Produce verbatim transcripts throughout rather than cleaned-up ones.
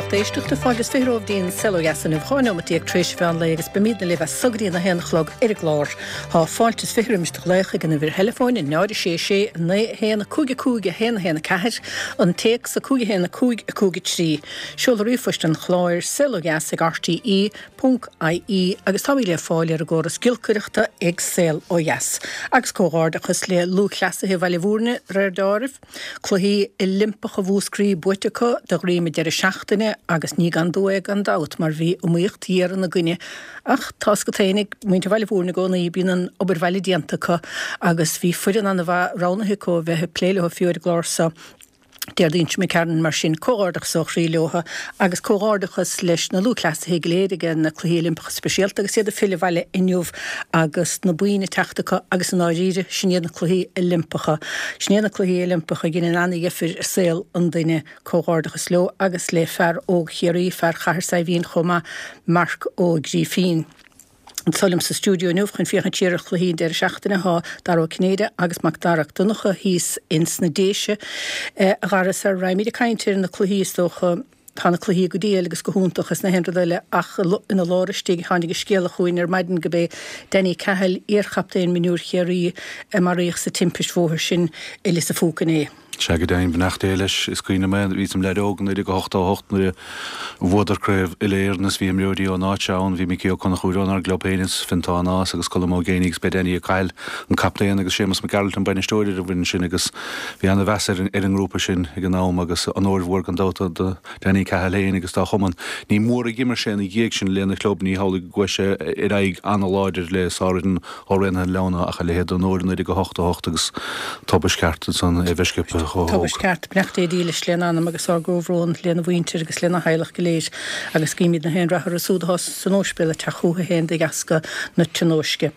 lucht éisteachta fáilte is fiche romhaibh go dtí an Saol Ó Dheas inniu dhá nóimeat déag tar éis mheán lae agus beimidne libh as so go dtí a haon a chlog ar an gclár. Tá fáilte is fiche roimis do ghlaoch ag an uimhir theileafóin náid a sé sé naoi a haon a cúig a cúig a haon a haon a ceathair, an téacs a cúig a haon a cúig a cúig a trí. Seoladh ríomhphoist an chláir saol ó dheas ag rte ponc ie agus táimid le fáil ar an gcóras giolcaireachta ag Saol Ó Dheas. Agus comhghairdeachas le lúthchleasaithe Bhaile Bhúirne réir dealraimh, Cluichí Oilimpeacha Mhúscraí buaite acu de dhroim an deireadh seachtaine agus ní gan dua é gan dabht mar bhí iomaíocht ghéar ina gcoinne ach tá a fhios agat féin ag muintir Bhaile Bhúirne i gcónaí bíonn an obair bhaile déanta acu agus bhí foireann an-mhaith roghnaithe acu a bheith ag plé leo fiú ar an gclár seo Déardaoin seo imigh mar sin comhghairdeachas ó chroí leo agus comhghairdeachas leis na lúthchleasaithe go léir ag na Cluichí Oilimpeacha Speisialta agus iad ag filleadh abhaile inniu agus na boinn ag teacht acu agus i ndáiríre sin iad na Cluichí Oilimpeacha. Sin iad na Cluichí Oilimpeacha a dhéanann an-dheifir i saol an duine. Comhghairdeachas leo agus le fear óg Chiarraí, fear Chathair Saidhbhín chomh maith, Marc Ó Grífín. Anseo liom sa stiúideo inniu chun féachaint siar ar chluichí an deireadh seachtaine tá Dara Ó Cinnéide agus Mac Dara Mac Donncha thíos ins na Déise. A Dhara, sara raghaimid ag caint ar na cluichí is dócha tá na cluichí go diail agus go hiontach is na haon rud eile ach ina lár istigh tháinig an scéala chugainn ar maidin gurb é Danny Cahill, iarchaptaen mionúir Chiarraí a maraíodh sa timpist bhóthair sin i Lios a' Phúca inné. Sea, go deimhin, beannacht Dé leis. Is cuimhin liom é, bhíos im leaid óg i naoi déag a hochtó a hocht nuair a bhuadar craobh uile-Éireann is bhí imreoirí ón áit seo ann, bhí Micí Ó Conchúir ónár gclub féin is Fintán Nás agus Colm Ó Géibheannaigh agus b'é Danny Cahill an captaen agus Séamus Mac Gearailt an bainisteoir ar an bhfoireann sin agus bhí ana-mheas ar an ngrúpa sin ag an am agus onóir mhór gan dabht do Danny Cahill féin agus dá chumann. Ní mór a d'imir sé ina dhiaidh sin lena chlub, ní hamhlaidh go gcuaigh sé ar aghaidh ana-láidir le sárfhoireann ó Raonaithe an Leamhna ach a leithéid d'onóir i naoi déag a hochtó a hocht agus tubaist cheart ansan é bheith sciobtha chomh hóg. Tubaist cheart, beannacht Dé dílis lena anam agus ár gcomhbhrón lena mhuintir agus lena theaghlach go léir agus guímid na haon rath orthu siúd atá san óispidéal ag teacht chucu féin de dheasca na tionóisce.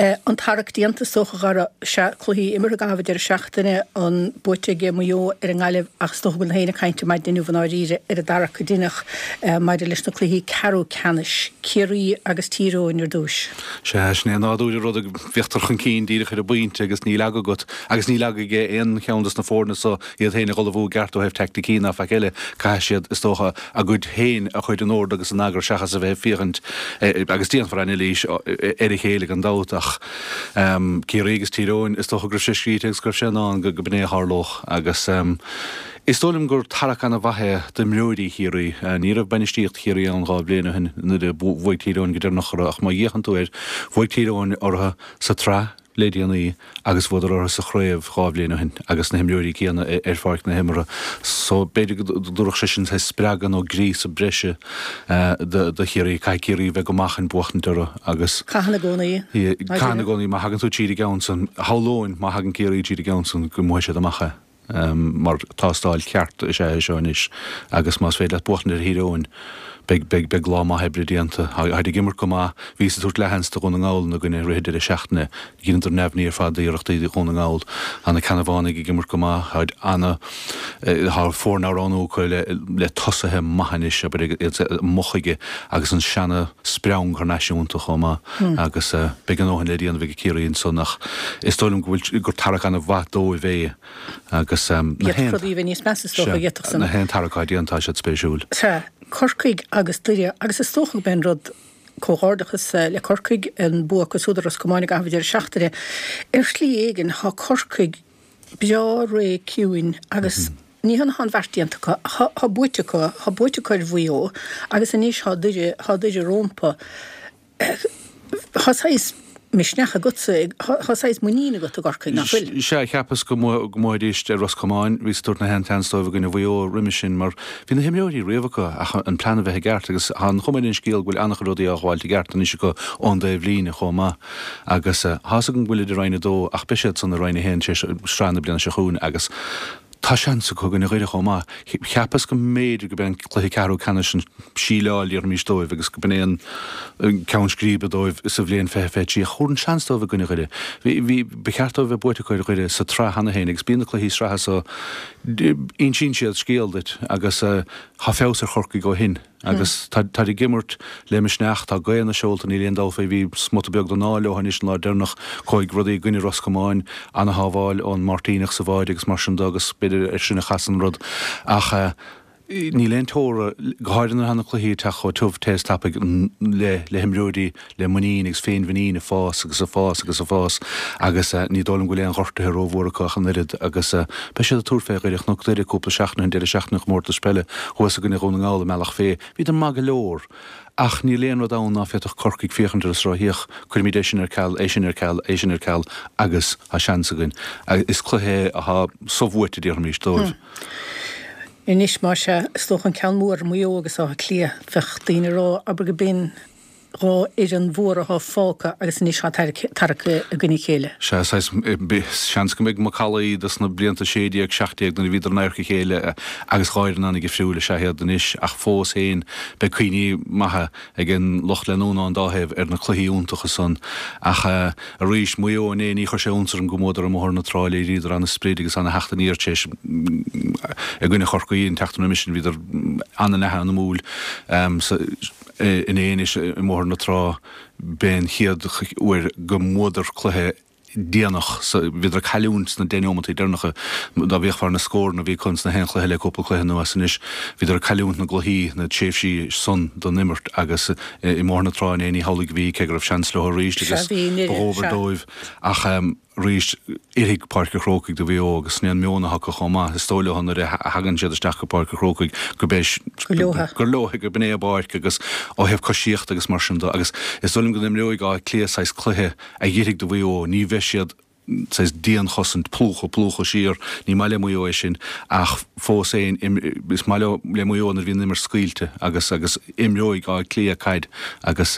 An tarrac déanta is dócha a Dhara, sea, cluichí imeartha i gcaitheamh an deireadh seachtaine, an buaite ag Maigh Eo ar an nGaillimh ach is dócha go bhfuil na héinne ag caint ar maidin inniu i ndáiríre ar an dtarrac a deineadh maidir leis na cluichí ceathrú ceannais, Ciarraí agus Tír Eoghain ar dtúis. Sea, sin é nádúr an ruda, féachtar chun cinn díreach ar an bpointe agus níl aga agat, agus níl aga ag aon cheann dos na foirne so iad féin a dh'ullmhú i gceart ó thaobh teaicticí ná faic eile, caithfidh siad, is dócha, a gcuid féin a chur in ord agus in eagar seachas a bheith ag féachaint, agus déanfar anailís ar a chéile gan dabht, ach Ciarraí agus Tír Eoghain, is dócha go raibh sé scríte agus go raibh sé i ndán go b'in é a tharlódh agus is dóigh liom gur tarrac ana-mhaith é d'imreoirí Chiarraí. Ní raibh bainistíocht Chiarraí ann dhá bhliain ó shin nuair a bhuaigh Tír Eoghain go deireanach orthu ach má fhéachann tú air, bhuaigh Tír Eoghain orthu sa tsraith, le déanaí agus bhuadar orthu sa chraobh dhá bhliain ó shin agus na himreoirí céanna ar pháirc na himeartha so b'fhéidir go dtabharfadh sé sin saghas spreagadh nó gríosadh breise do Chiarraí. Caithfidh Ciarraí a bheith go maith chun buachtaint orthu agus. Caitheann i gcónaí. Caitheann i gcónaí. Má thagann tú tríd an gceann san, shamhlóinn má thagann Ciarraí tríd an gceann san go mbuafaidh siad amach é. Mar tástáil cheart is ea é seo anois agus más féidir leat buachtaint ar Thír Eoghain, beidh, beidh, beidh lá maith oibre déanta. Táid ag imirt go maith. Bhíos ag tabhairt leathsheans do Dhún na nGall ina gcoinne i rith an deireadh seachtaine. Dheineadar neamhní ar fad d'iarrachtaí Dhún na nGall. Tá na Ceannabhánaigh ag imirt go maith. Táid ana, tá foirne á roghnú acu le, le tosaithe maithe anois, abair, iad i mboth chuige agus an seana spreang thar n-ais iontu chomh maith agus beidh a ndóthain le déanamh ag Ciarraí ansan ach is dóigh liom go bhfuil, gur tarrac ana-mhaith dóibh é. Agus na haon. Rudaí a bheith níos measa is dócha, d'fhéadfadh san. Na haon tarrac atá déanta, tá siad spéisiúil. Sea, Corcaigh agus Doire, agus is dócha go b'é an rud, comhghairdeachas le Corcaigh, an bua acu siúd ar Ros Comáin i gcaitheamh an deireadh seachtaine. Ar shlí éigin, tá Corcaigh breá réidh ciúin agus ní hionadh tá an bheart déanta acu, tá buaite acu, tá buaite acu ar Mhaigh Eo agus anois tá Doire, tá Doire rómpa. Tá saghas misneach agatsa, tá saghas muinín agat i gCorcaigh, nach bhfuil? Sea, cheapas go mbuafaidís ar Ros Comáin, bhíos ag tabhairt na haon tseans dóibh i gcoinne Mhaigh Eo roimis sin mar bhí na himreoirí riamh acu ach an plean a bheith i gceart agus tá an chuma ar an scéal go bhfuil an-chuid rudaí á ghabháilt i gceart anois acu ón dtaobh líne chomh maith agus tá's agam go bhfuilid i Roinn a Dó ach beidh siad san i Roinn a hAon tar éis sraith na bliana seo chugainn agus Tá seans acu i gcoinne Dhoire chomh maith. Cheapas go mb'fhéidir go b'é an cluiche ceathrú ceannais an síleáil, déarfaimis, dóibh agus go b'in é an ceann scríbe dóibh sa bhliain fiche fiche trí. Ach thabharfainn seans dóibh i gcoinne Dhoire. Bhí, bhí, ba cheart dóibh a bheith buaite acu ar Dhoire sa tsraith cheana féin agus bíonn na cluichí sraithe so, insíonn siad scéal duit agus tá feabhas ar Chorcaigh ó shin. Agus táid ag imirt le misneach, tá gaoth ina seolta, níl aon dabht faoi. Bhí smut beag den ádh leo anois an lá deireanach, chuaigh rudaí i gcoinne Ros Comáin, ana-shábháil ón Máirtíneach sa bháide agus mar sin de agus b'fhéidir ar sin a chas an rud. Ach Níl aon teora, go háirithe nuair atá na cluichí ag teacht chomh tiubh te is tapaidh le le himreoirí le muinín agus féinmhuinín ag fás agus ag fás agus ag fás agus ní dóigh liom go bhfuil aon ghortuithe rómhór acu ach an oiread agus beidh siad ag tabhairt fé Dhoire. Chonac Doire cúpla seachtain ó shin, deireadh seachtaine an chomórtais peile thuas i gcoinne Dhún na nGall i mBealach Féich. Bhíodar maith go leor ach níl aon rud ann ná féadfadh Corcaigh féachaint air is rá féach, cuirimid é sin ar ceal, é sin ar ceal, é sin ar ceal agus tá seans againn. Is cluiche é atá sobhuaite, déarfaimis, dóibh. Anois, más ea, is dócha an ceann mór, Maigh Eo agus Áth Cliath, bheadh daoine ag rá, abair go b'in dhá fhoireann mhóra atá fágtha agus anois tá tarrac i gcoinne a chéile. Sea, saghas, seans go mbeidh macallaí dos na blianta sé déag, seacht déag nuair a bhíodar in adharca a chéile agus dhá fhoireann an-dhifriúil is ea iad anois ach fós féin beidh cuimhní maithe ag an lucht leanúna ón dá thaobh ar na cluichí iontacha san ach arís, Maigh Eo inné, ní chuir sé iontas orm go mbuadar i mBóthar na Trá, léiríodar an-sprid agus an-theacht aniar tar éis i gcoinne Chorcaí an tseachtain roimis sin, bhíodar an-an an-iomadúil inné anois i mBóthar na Trá, b'é an chéad uair go mbuadar cluiche déanach. Bhíodar ag cailliúint sna deich neomataí deireanacha. Dá bhféachfá ar na scóranna a bhí acu sna haon chluiche le cúpla cluiche anuas anois, bhíodar ag cailliúint na gcluichí, na tréimhsí san don imirt agus i mBóthar na Trá inné ní hamhlaidh a bhí, cé go raibh seans leo arís agus ba dhóbair dóibh ach arís oirfidh Páirc an Chrócaigh do Mhaigh Eo agus sin é an meon atá acu chomh maith. Is dóigh leo nuair a thagann siad isteach go Páirc an Chrócaigh go beidh gur leo, gurb in é a bpáirc agus ó thaobh coisíochta agus mar sin de agus is dóigh liom go n-imreoidh Áth Cliath saghas cluiche a oirfidh do Mhaigh Eo, ní bheidh siad saghas dianchosaint, plúchadh, plúchadh siar, ní maith le Maigh Eo é sin ach fós féin is maith leo, le Maigh Eo nuair a bhíonn an imirt scaoilte agus agus imreoidh Áth Cliath caid agus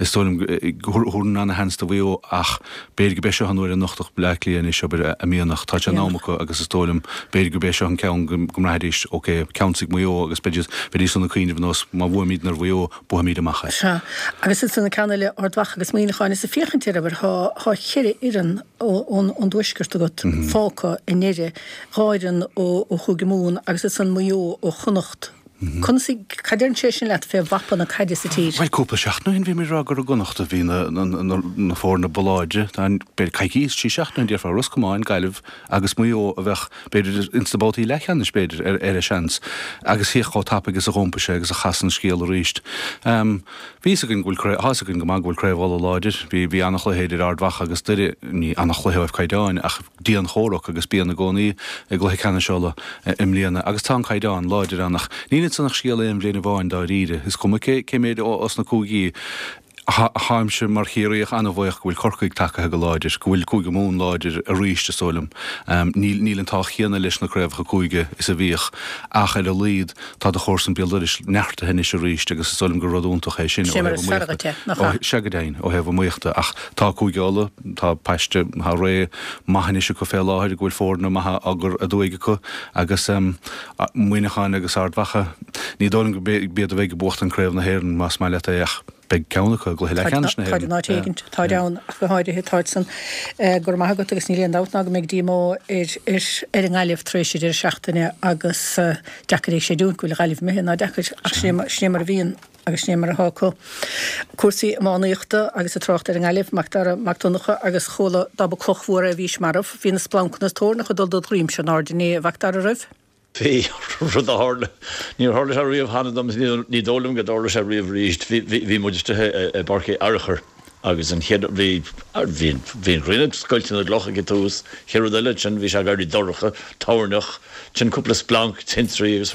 is dóigh liom go thabharfainn ana-sheans do Mhaigh Eo ach b'fhéidir go b'é seo an uair a nochtfadh Bleá Cliath anois, abair, a mianach. Tá sé in am acu agus is dóigh liom b'fhéidir go b'é seo an ceann go mbraithfidís ok, ceansaigh Maigh Eo agus beidís, bheidís san ag cuimhneamh ar nós má bhuaimidne ar Mhaigh Eo, buafaimid amach é. Sea. Agus ansan an ceann eile, Ard Mhacha agus Muineachán, is ag féachaint air, abair, thá, thá cheithre fhoireann ón, ón dtuaisceart agat fágtha i ndeireadh, dhá fhoireann ó, ó Chúige Mumhan agus ansan Maigh Eo ó Chonnacht. Conas, cad deireann sé sin leat fé mhapa na caide sa tír? Bhuel, cúpla seachtain ó shin bhí muid ag rá gur i gConnacht a bhí na, na, na, na foirne ba láidre. B'fhéidir coicís, trí seachtaine ó shin déarfá Ros Comáin, Gaillimh agus Maigh Eo a bheadh, b'fhéidir, ins na babhtaí leathcheannais, b'fhéidir, ar, ar a seans. Agus féach chomh tapaidh is a dh'iompaigh sé agus a chas an scéal arís. Bhí fhios againn go bhfuil craobh, tá fhios againn go maith go bhfuil Craobh Uladh láidir. Bhí, bhí an-chluiche idir Ard Mhacha agus Doire, ní an-chluiche ó thaobh caighdeáin ach dian-chomhrac agus bíonn i gcónaí i gcluiche ceannais Uladh i mbliana agus tá an caighdeán láidir ann ach níl ansan ach scéal aon bhliain amháin dáiríre. Is cuma cé, cé méid os na cúigí. Táimse mar Chiarraíoch an-bhuíoch go bhfuil Corcaigh tagaithe go láidir, go bhfuil Cúige Mumhan láidir arís, is dóigh liom. Níl níl an t-ádh chéanna leis na craobhacha cúige is a bhíodh ach ar a laghad tá do chomharsan béal dorais neartaithe anois arís agus is dóigh liom gur rud iontach é sin ó Sin mar thaobh is fearr iomaíochta. dhuit é, nach ea? Sea go deimhin, ó thaobh iomaíochta ach tá Cúige Uladh, tá paiste, tá ré maith anois acu fé láthair go bhfuil foirne maithe á gcur aduaidh acu agus Muineachán agus Ard Mhacha, ní dóigh liom go b'iad a bheidh ag buachtan Craobh na hÉireann más maith leat é ach Beidh ceann acu i gcluiche leathcheannais na Táid hÉireann. in áit éigin, táid ann ach go háirithe, táid san. Go raibh maith agat agus níl aon dabht ná go mbeidh díomá ar ar an nGaillimh tar éis an deireadh seachtaine agus deacair é a chreidiúint go bhfuil an Ghaillimh imithe ná deacair ach sin é mar a bhíonn agus sin é mar atá acu. Cúrsaí iománaíochta agus ag trácht ar an nGaillimh, Mac Dara Mac Donncha agus chuala dá ba cloch mhór é bhís marbh. Bhí na splancanna is toirneach ag dul dod dhroimse in airde inné, a Mhac Dara raibh? Bhí, rud a tharla, níor tharla sé riamh cheana dom is ní dóigh liom go dtarlóidh sé riamh arís. Bhí, bhí muid istigh i bPáirc Uí Fhearchair agus an chéad, bhí, bhí, bhí an ghrian ag scoilteadh na gcloch ag an tús, chéad rud eile ansin bhí sé ag éirí dorcha, toirneach, ansin cúpla splanc, tintrí agus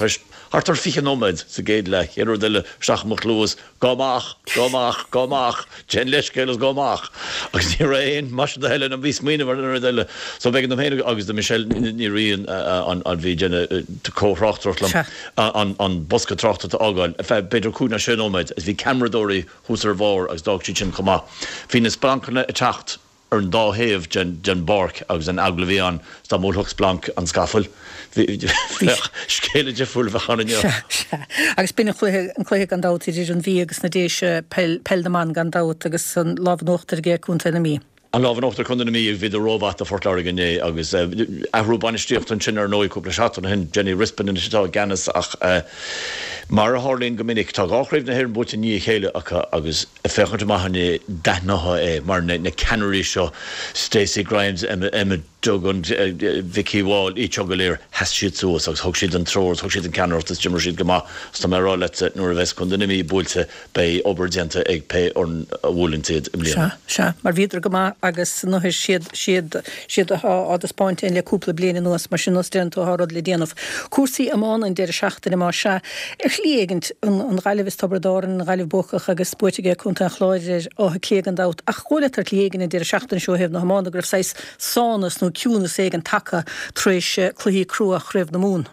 thart ar fiche nóiméad sa gcéad leath, chéad rud eile isteach i mo chluas, Gabh amach! Gabh amach! Gabh amach! Déan leithscéal agus gabh amach! Agus ní raibh aon mhaise do Helen a bhí smaoineamh ar an rud eile. So b'éigean dom féin agus do Michelle Ní Riain a bhí ag déanamh comh-thráchtaireacht liom an an bosca tráchtaireachta a fhágáil ar feadh b'fhéidir cúig nó sé nóiméad agus bhí ceamaradóirí thuas ar bharr agus d'fhág siad sin chomh maith. Bhí na splancanna ag teacht. ar an dá thaobh den bpáirc agus an eagla a bhí ann is dá mbuailfeadh splanc an scafall, bheadh scéala difriúil a bheadh ann inniu. Sea, sea. Agus b'in an cluiche, an cluiche gan dabht idir an Mhí agus na Déise, peil, peil na mban gan dabht agus an lámh in uachtar ag Contae na Mí. An lámh in uachtar ag Contae na Mí, bhíodar rómhaith do Phort Láirge inné agus athrú bainistíochta ansin ar ndóigh cúpla seachtain ó shin, Jenny Rispin anois atá i gceannas ach mar a tharlaíonn go minic tá dhá chraobh na hÉireann buaite i ndiaidh a chéile acu agus Ag féachaint amach inné, d'aithneofá é mar na ceannairí seo, Stacey Grimes, Emma Duggan, Vicky Wall, iad seo go léir, sheas siad suas agus thug siad an treoir, thug siad an ceannaireacht is d'imir siad go maith. Is tá mé ag rá leat, nuair a bheas Contae na Mí buailte, beidh obair déanta ag pé fhoireann a bhuaileann iad i mbliana. Sea, sea, mar bhíodar go maith agus nó siad, siad, siad atá á dtaispeáint le cúpla bliain anuas, mar sin nós deireann tú tá rud le déanamh. Cúrsaí iomána an deireadh seachtaine, más ea, ar shlí éigint, an, an Ghaillimh is Tiobraid Árann, an Ghaillimh buacach agus buaite ag Contae an Chláir ar Áth Cliath gan dabht, ach dhóigh leat ar shlí éigin an deireadh seachtaine seo ó thaobh na hiomána go raibh saghas sánas nó ciúnas éigin tagtha tar éis cluichí crua Chraobh na Mumhan.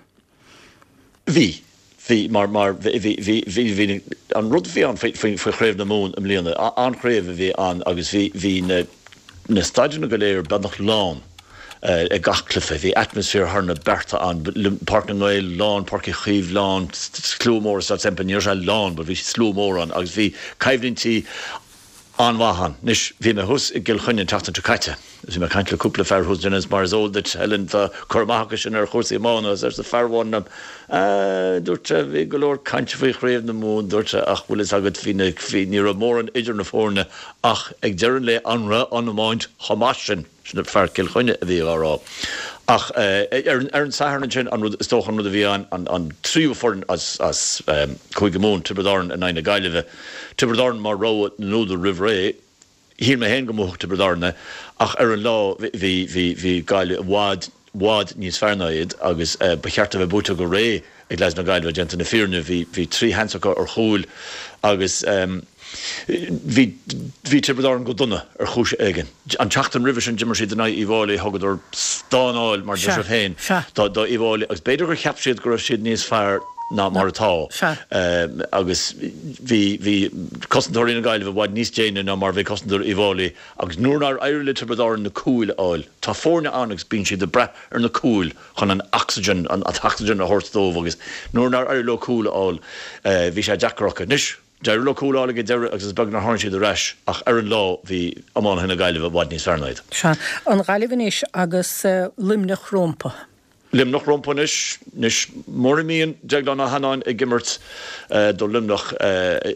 Bhí. Bhí, mar, mar, bhí, bhí, bhí, bhí, an rud a bhí ann faoi, faoi, faoi Chraobh na Mumhan i mbliana, an-chraobh a bhí ann agus bhí, bhí na, na staideanna go léir beagnach lán ag gach cluiche. Bhí atmaisféar thar na bearta ann, Páirc na nGael lán, Páirc Uí Chaoimh lán, slua mór i Staid Semple, ní raibh sé lán but bhí slua mór ann agus bhí coimhlintí an-mhaith ann. Anois, bhí mé thuas i gCill Chainnigh an tseachtain seo caite agus bhí mé ag caint le cúpla fear thuas ansin agus mar is eol duit, Helen, tá cur amach acu sin ar chúrsaí iomána agus arsa fear amháin liom, Ah, dúirt sé, bhí go leor cainte faoi Chraobh na Mumhan, dúirt sé, ach bhfuil fhios agat, bhí na, bhí, ní raibh mórán idir na foirne ach ag deireadh an lae an raibh an iomáint chomh maith sin? Sin fear Chill Chainnigh a bhí á rá. Ach ar an Satharn ansin, an rud, is dócha an rud a bhí ann, an tríú foireann as Cúige Mumhan, Tiobraid Árann in aghaidh na Gaillimhe. Tiobraid Árann mar rogha na n-údar roimh ré. Shíl mé féin go mbuafadh Tiobraid Árann é ach ar an lá bhí, bhí, bhí Gaillimh i bhfad, bhfad níos fearr ná iad agus ba cheart a bheith buaite go réidh ag leaids na Gaillimhe, déanta na fírinne. Bhí, bhí trí sheans acu ar chúil agus bhí, bhí Tiobraid Árann go dona ar chúis éigin. An tseachtain roimhe sin d'imir siad in aghaidh Uíbh Fháilí, thugadar stánáil, mar deir sibh féin, do, do Uíbh Fháilí agus b'fhéidir gur cheap siad go raibh siad níos fearr ná mar atá agus bhí, bhí cosantóirí na Gaillimhe i bhfad níos déine ná mar bhí cosantóirí Uíbh Fháilí agus nuair nár éirigh le Tiobraid Árann na cúil a fháil, tá foirne ann agus bíonn siad ag brath ar na cúil chun an ocsaigin, an t-ocsaigin a thabhairt dóibh agus nuair nár éirigh leo cúl a fháil, bhí sé deacair acu. Anois, d'éirigh leo cúl a fháil ag an deireadh agus is beag nár tháinig siad ar ais ach ar an lá bhí iománaithe na Gaillimhe i bhfad níos fearr ná iad. Sea, an Ghaillimh anois agus Luimneach rompu. Luimneach rompu anois. Anois, mura mbíonn Deaglán Ó hAnnáin ag imirt do Luimneach,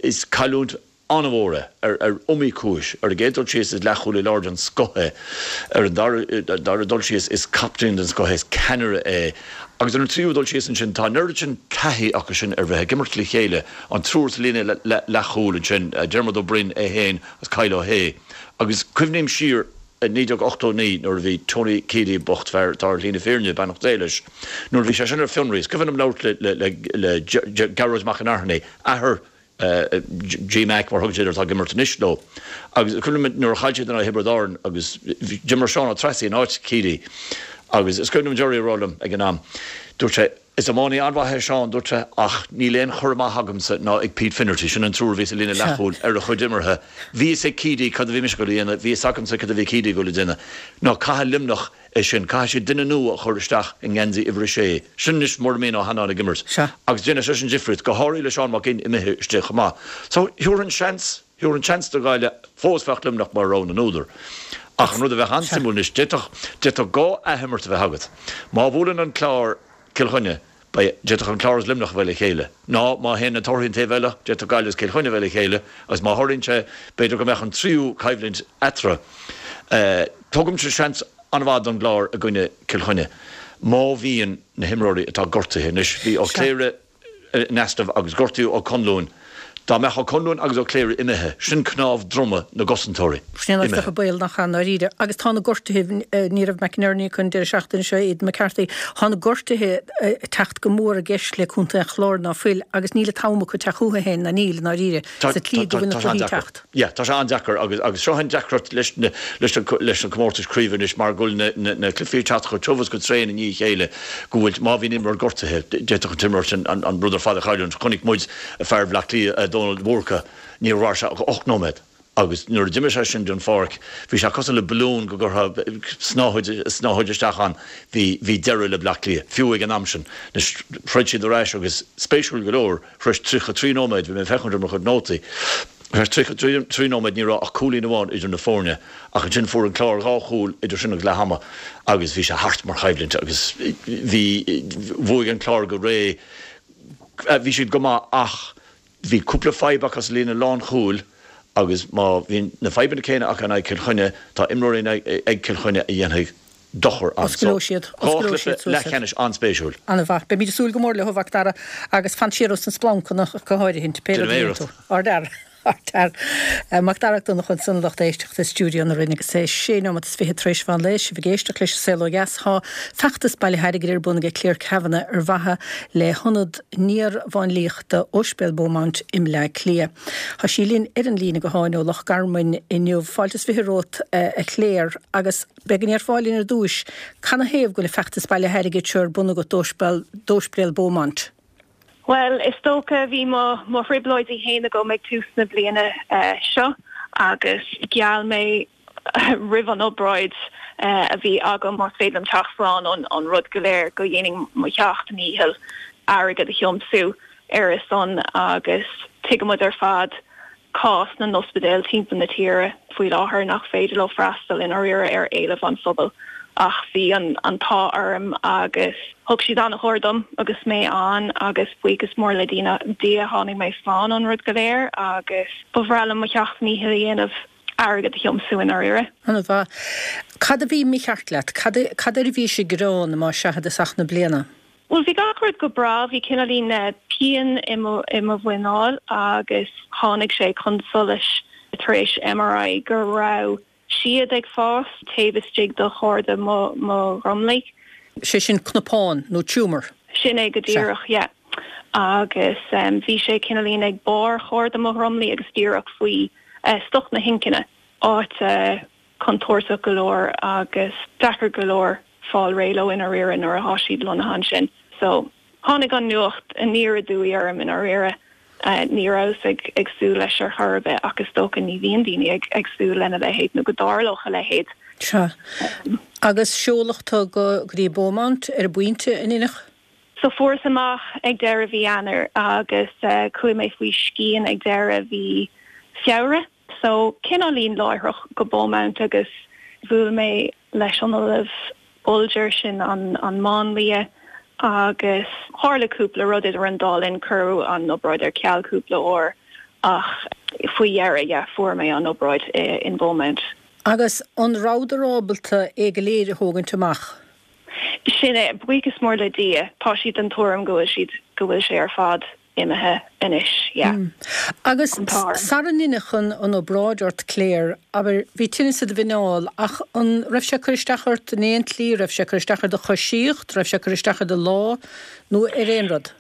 is cailliúint an-mhór é ar ar iomaí cúis. Ar an gcéad dul síos is leathchúlaí láir den scoth é. Ar an dara dara dul síos is captaen den scoth é, is ceannaire é. Agus ar an tríú dul síos ansin tá an oiread sin taithí acu sin ar bheith ag imirt le chéile, an triúr sa líne leathchúil ansin, Diarmuid Ó Broin é féin agus Kyle Ó hAodha. Agus cuimhním siar i naoi déag ochtó a naoi nuair a bhí Tony Keady bocht, fear atá ar shlí na fírinne, beannacht Dé leis, nuair a bhí sé sin ar fionraí, is cuimhin liom labhairt le le le Gearóid Mac an Airthní, athair G Mac, mar a thugann siad air, atá ag imirt anois leo. Agus is cuimhin liom nuair a chaill siad in aghaidh Thiobraid Árann agus d'imir Seán Ó Treasaigh in áit Keady agus is cuimhin liom Gerry a rá liom ag an am, dúirt sé, Is iománaí an-mhaith é Seán, dúirt sé, ach níl aon chur amach agamsa ná ag Pete Finnerty, sin an triúr a bhí sa líne leathchúil, ar a chuid imeartha. Bhí fhios ag Keady cad a bhí mise ag dul a dhéanamh, bhí fhios agamsa cad a bhí Keady ag dul a dhéanamh. Ná caithfidh Luimneach é sin. Caithfidh siad duine nua a chur isteach i ngeansaí uimhir a sé. Sin anois mura mbíonn Ó hAnnáin ag imirt. Agus déanfaidh sé sin difríocht, go háirithe le Seán Mac Fhinn imithe istigh chomh maith. So, thabharfainn seans, thabharfainn seans do Ghaillimh, fós bheadh Luimneach mar rogha na n-údar. Ach an rud a bheadh an-suimiúil anois, d'fhéadfadh, d'fhéadfadh dhá athimirt a bheith agat. Má bhuaileann an Clár Cill Chainnigh, Beidh, d'fhéadfadh an Clár agus Luimneach a bheith le chéile. Ná má théann na torthaí an taobh eile, d'fhéadfadh Gaillimh agus Cill Chainnigh a bheith le chéile agus má tharlaíonn sé, b'fhéidir go mbeadh an tríú coimhlint eatarthu. Tugaimse seans an-mhaith don gClár i gcoinne Cill Chainnigh má bhíonn na himreoirí atá gortaithe anois, bhí Ó Cléirigh in easnamh agus gortaíodh Ó Conluain. Dá mbeadh Ó Conluain agus Ó Cléirigh imithe, sin cnámh droma na gcosantóirí Sin an imithe. stopadh baol nach ea, i ndáiríre. Agus tá na gortuithe, ní raibh McInerney acu an deireadh seachtaine seo, Aidan McCarthy, tá na gortuithe ag teacht go mór i gceist le Contae an Chláir ná fuil agus níl an t-am acu teacht chucu féin, ná níl, i ndáiríre, sa tslí go bhfuil na Tá sé cluichí ag an-deacair. teacht. Yeah, tá sé an-deacair agus agus seo an deacracht leis na leis na leis na comórtais craoibhe anois mar go bhfuil na na na cluichí ag teacht chomh tiubh is chomh tréan i ndiaidh a chéile go bhfuil má bhíonn imreoir gortaithe d'fhéadfadh an t-imreoir sin an an rud ar fad a chailliúint. Chonaic muid fear Bhaile Átha Cliath, Dónal Búrca, níor mhair sé ach ocht nóiméad agus nuair a d'imigh sé sin den pháirc bhí sé cosúil le balún go gcuirfeá snáthaid snáthaid isteach ann. Bhí bhí deireadh le Bleá Cliath, fiú ag an am sin. Anois throid siad ar ais agus spéisiúil go leor, tar éis tríocha trí nóiméad, bhí mé ag féachaint ar mo chuid nótaí, tar éis tríocha trí nóiméad ní raibh ach cúilín amháin idir na foirne ach ansin fuair an Clár dhá chúl idir sin agus leath ama agus bhí sé thart mar choimhlint agus bhí bhuaigh an Clár go réidh. Bhí siad go maith ach bhí cúpla fadhb acu sa líne lánchúil agus má bhíonn na fadhbanna céanna acu in aghaidh Chill Chainnigh, tá imreoirí ag Cill Chainnigh a dhéanfaidh dochar ann. Osclóidh siad, Dhá osclóidh chluiche siad suas iad. leathcheannais an-spéisiúil. An-mhaith. Beimid ag súil go mór leo, a Mhac Dara, agus fan siar ós na splancanna ach go háirithint, pé rud a Déanfaidh mé dhéanann tú. Ardfhear. Ardfhear. Mac Dara Mac Donncha ansan a lucht éisteachta i stiúideo na Rinne agus é sé nóiméad is fiche tar éis mheán lae, sibh ag éisteacht leis An Saol Ó Dheas. Tá feachtas bailithe airgid ar bun ag Clare Kavanagh ar mhaithe le hIonad Néar-Mháinliachta Ospidéal Beaumont i mBleá Cliath. Tá sí linn ar an líne gutháin ó Loch Garman inniu. Fáilte is fiche romhat, a Clare, agus b'fhéidir go ndéarfá linn ar dtúis, canathaobh go bhfuil an feachtas bailithe airgid seo ar bun agat d'Ospidéal Beaumont? Bhuel, is dócha bhí mo mo thrioblóidí féin agam ag tús na bliana seo agus gheall mé roimh an obráid a bhí agam más féidir liom teacht slán ón ón rud go léir go ndéanfainn mo sheacht ndícheall airgead a thiomsú ar a son agus tuigimid ar fad cás na n-ospidéal timpeall na tíre faoi láthair nach féidir leo freastal i ndáiríre ar éileamh an phobail ach bhí an an t-ádh orm agus thug siad an-chóir dom agus mé ann agus buíochas mór le Dia Dia tháinig mé slán ón rud go léir agus ba bhreá liom mo sheacht ndícheall a dhéanamh airgead a thiomsú i ndáiríre. An-mhaith. Cad a bhí mícheart leat? Cad cad air a bhís ag gearán má sea i dtosach na bliana? Bhuel bhí gach rud go breá, bhí cineáilín pian i mo i mo mhuineál agus tháinig sé chun solais tar éis MRI go raibh siad ag fás taobh istigh de chorda mo mo dhromlaigh. Sé sin cnapán nó tumour. Sin é go díreach, yeah. Agus bhí sé cineáilín ag barr chorda mo dhromlaigh agus díreach faoi stoc na hinchinne, áit contúirteach go leor agus deacair go leor fáil réidh leo i ndáiríre nuair atá siad lonnaithe ansin. So tháinig an nuacht aniar aduaidh orm i ndáiríre. Ní rabhas ag ag súil leis ar chor ar bith ach is dócha ní bhíonn daoine ag ag súil lena leithéid nó go dtarlódh a leithéid. Sea. Agus seoladh tú go go dtí Beaumont ar an bpointe an ea? So fuaireas amach ag deireadh mhí Eanáir agus chuaigh mé faoi scian ag deireadh mhí Feabhra. So cineáilín láithreach go Beaumont agus bhuail mé leis an Ollamh Bolger sin an an máinlia agus tharla cúpla rud idir an dá linn, cuireadh an obráid ar ceal cúpla uair ach faoi dheireadh, yeah, fuair mé an obráid in Beaumont. Agus an rabhadar ábalta é go léir a thógaint amach? Sin é, buíochas mór le Dia, tá siad den tuairim go bhfuil siad, go bhfuil sé ar fad imithe anois, yeah. Agus sara ndeineadh an an obráid ort, Clare, abair, bhí tinneas i do mhuineál ach an raibh sé ag cur isteach ort in aon tslí, raibh sé ag cur isteach ar do choisíocht, raibh sé ag cur isteach ar do lá nó ar aon rud?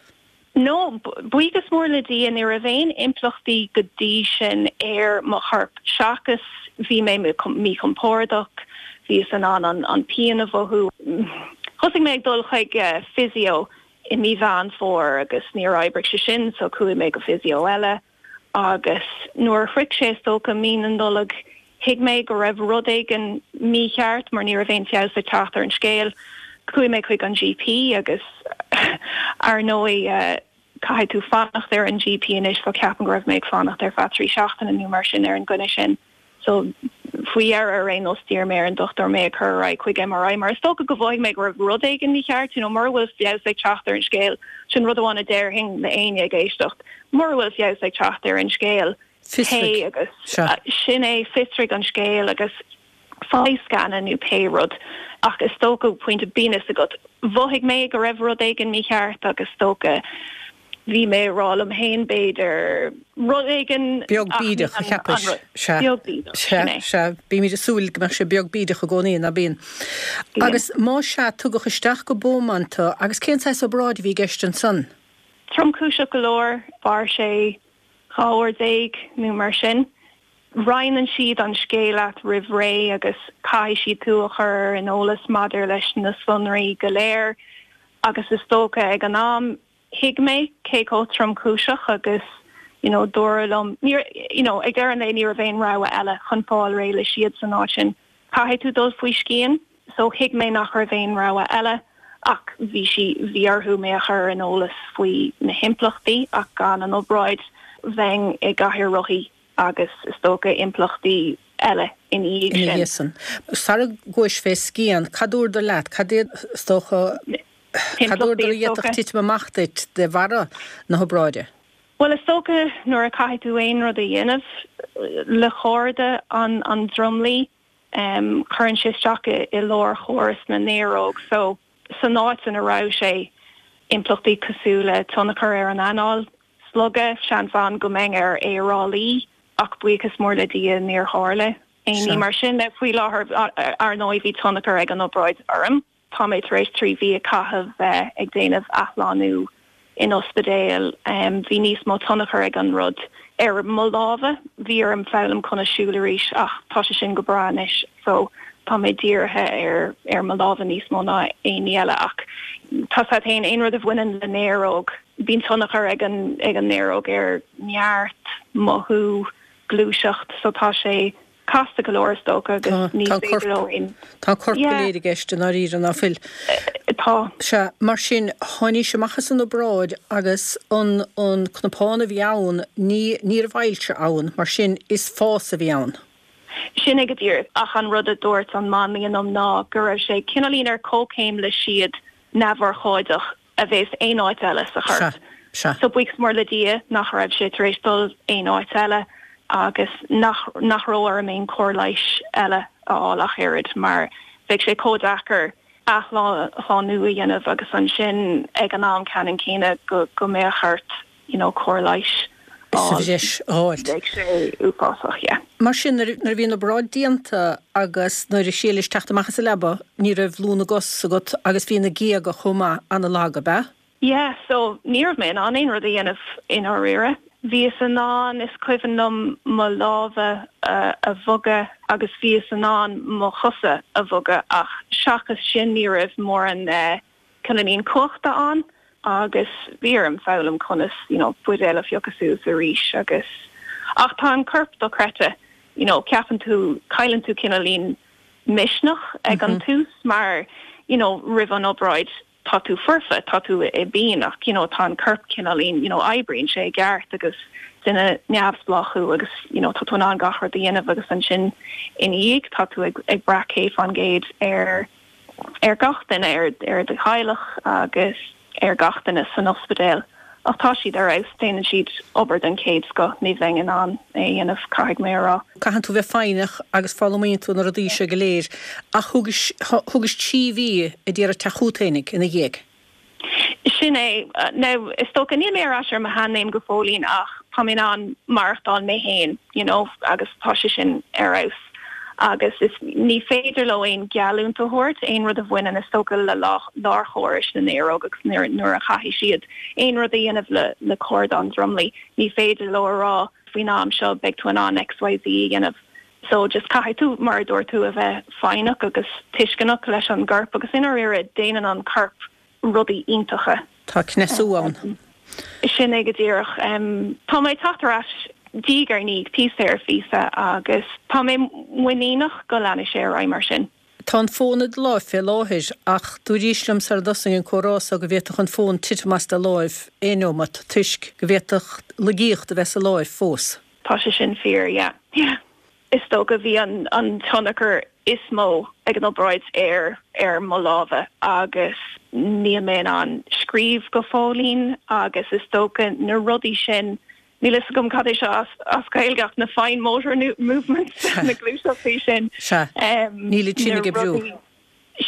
No, buíochas mór le Dia, ní raibh aon impleachtaí go dtí sin ar mo chorp seachas bhí mé míchompordach, bhíos in ann an an pian a mhothú. Thosaigh mé ag dul chuig physio i mí Mheán Fómhair agus níor oibrigh sé sin so chuaigh mé go physio eile agus nuair a shroich sé is dócha mí na Nollag thuig mé go raibh rud éigin mícheart mar ní raibh aon feabhas ag teacht ar an scéal. Chuaigh mé chuig an GP agus ar ndóigh caithfidh tú fanacht ar an GP anois so ceapaim go raibh mé ag fanacht ar feadh trí seachtaine nó mar sin ar an gcoinne sin. So faoi dheireadh ar aon nós d'iarr mé ar an dochtúir mé a chur ar aghaidh chuig MRI mar is dócha go mhothaigh mé go raibh rud éigin mícheart, you know, mura bhfuil feabhas ag teacht ar an scéal, sin rud amháin a déarfainn le éinne ag éisteacht, mura bhfuil feabhas ag teacht ar an scéal, Fiosraigh. téigh agus sin é, fiosraigh an scéal agus faigh scanadh nó pé rud. Ach is dócha, pointe, bíonn fhios agat, mhothaigh mé go raibh rud éigin mícheart agus is dócha bhí mé ag rá liom féin b'fhéidir rud éigin Beag bídeach, a cheapais. Sea. Beag bídeach, sin Sea, é. sea. Bímid ag súil go mbeadh sé beag bídeach i gcónaí, ná bíonn? Bíonn. Agus má sea, tugadh isteach go Beaumont tú, agus cén saghas obráid a bhí i gceist ansan? Tromchúiseach go leor, mhair sé dhá uair déag nó mar sin. Roinneann siad an scéal leat roimh ré agus caithfidh siad tú a chur ar an eolas maidir leis na sonraí go léir agus is dócha ag an am thuig mé cé chomh tromchúiseach agus you know dúradh liom níor you know ag deireadh an lae ní raibh aon rogha eile chun fáil réidh le siad san áit sin caithfidh tú dul faoi scian so thuig mé nach raibh aon rogha eile ach bhí sí bhí orthu mé a chur ar an eolas faoi na himpleachtaí ach gan an obráid bheinn i gcathaoir rothaí agus is dócha impleachtaí eile ina dhiaidh Ina sin. dhiaidh sin. Sara gcuais fé scian, cad dúradar leat? Cad iad, is dócha, cad dúradar Himpleachtaí a is d'fhéadfadh dócha. titim amach duit de bharra na hobráide? Bhuel is dócha nuair a caithfidh tú aon rud a dhéanamh le chorda an an dromlaí, Cuireann sé isteach i lárchóras na néaróg so san áit ina raibh sé impleachtaí cosúil le tionchar ar an anáil, slogadh, seans ann go mbeinn ar aerálaí ach buíochas mór le Dia níor tharla aon ní mar sin. Faoi láthair ar ndóigh bhí tionchar ag an obráid orm. Tá mé tar éis trí mhí a chaitheamh ag déanamh athshlánú in ospidéal. Bhí níos mó tionchar ag an rud ar mo lámha. Bhí orm foghlaim conas siúl arís ach tá sé sin go breá anois so tá mé dírithe ar ar mo lámha níos mó ná aon ní eile ach tá sé féin aon rud a bhaineann le néaróg bíonn tionchar ag an ag an néaróg ar neart, mothú, gluaiseacht so tá sé casta go leor is dócha agus ní féidir leo aon Tá corp go léir i gceist i ndáiríre ná fuil? Tá. Sea, mar sin tháinís amach as an obráid agus an an cnapán a bhí ann ní ní raibh ailse ann, mar sin is fás a bhí ann. Sin é go díreach, ach an rud a dúirt an máinlia liom ná go raibh sé cineáilín ar comhchéim le siad neamhurchóideach a bheas aon áit eile sa chorp. Sea, sea. So buíochas mór le Dia nach raibh sé tar éis dul aon áit eile agus nach nach raibh orm aon chóir leighis eile a fháil ach oiread mar bheadh sé chomh deacair athshlánú a dhéanamh agus ansin ag an am ceannann céanna go go mbeadh ort you know cóir leighis a Sa fháil. bhreis a fháilt. Bheadh sé uafásach, yeah. Mar sin nuair a bhí an obráid déanta agus nuair a shílis teacht amach as an leaba ní raibh lúth na gcos agat agus bhí na géaga chomh maith an-lag, ab ea? Yeah, so ní raibh mé in ann aon rud a dhéanamh i ndáiríre. Bhíos in ann, is cuimhin liom mo lámha a bhogadh agus bhíos in ann mo chosa a bhogadh ach seachas sin ní raibh mórán cineáilín cumhachta ann agus bhí orm foghlaim conas you know buidéal a phiocadh suas arís agus ach tá an corp dochreidte you know ceapann tú cailleann tú cineáilín misneach ag an tús mar you know roimh an obráid tá tú foirfe, tá tú i bpian ach you know tá an corp cineáilín you know oibríonn sé i gceart agus duine neamhspleách thú agus you know tá tú in ann gach rud a dhéanamh agus ansin ina dhiaidh tá tú ag ag brath céad faoin gcéad ar ar gach duine ar ar do theaghlach agus ar gach duine san ospidéal. Ach tá siad ar fheabhas, déanann siad obair den chéad scoth, ní bheinn in ann é a dhéanamh, caithfidh mé a rá. Caitheann tú bheith foighneach agus foghlaimíonn tú na rudaí seo go léir ach thugais thugais trí mhí a d'iarraidh teacht chugat fhéinig ina dhiaidh. Sin é. Now, is dócha, níl mé ar ais ar mo sheanléim go fóillín ach tá mé in ann maireachtáil mé féin, you know, agus tá sé sin ar fheabhas. Agus is ní féidir leo aon gheallúint a thabhairt, aon rud a bhaineann is dócha le lárchórais na néaróg agus nuair nuair a chaithfidh siad aon rud a dhéanamh le le cordán dromlaigh, ní féidir leo a rá faoin am seo beidh tú in ann XYZ a dhéanamh. So just caithfidh tú, mar a dúirt tú, a bheith foighneach agus tuisceanach leis an gcorp agus i ndáiríre déanann an corp rudaí iontacha. Tá cneasú ann. Sin é go díreach. Tá mé ag teacht ar ais diaidh ar ndiaidh, píosa ar phíosa, agus tá mé muiníneach go leanfaidh sé ar aghaidh mar sin. Tá an fón i do láimh fé láthair ach dúraís liom sara dtosaigh an comhrá so go bhféadfadh an fón titim as do láimh aon neomat toisc go bhféadfadh laigeacht a bheith sa láimh fós. Tá sé sin fíor, yeah. Yeah. Is dócha bhí an an tionchar is mó ag an obráid ar ar mo lámha agus níl mé in ann scríobh go fóillín agus is dócha na rudaí sin, níl fhios agam cad é seo as as Gaeilge ach na fine motor movements, na gluaiseachtaí sin. Sea, níl iad sin na ag oibriú. rudaí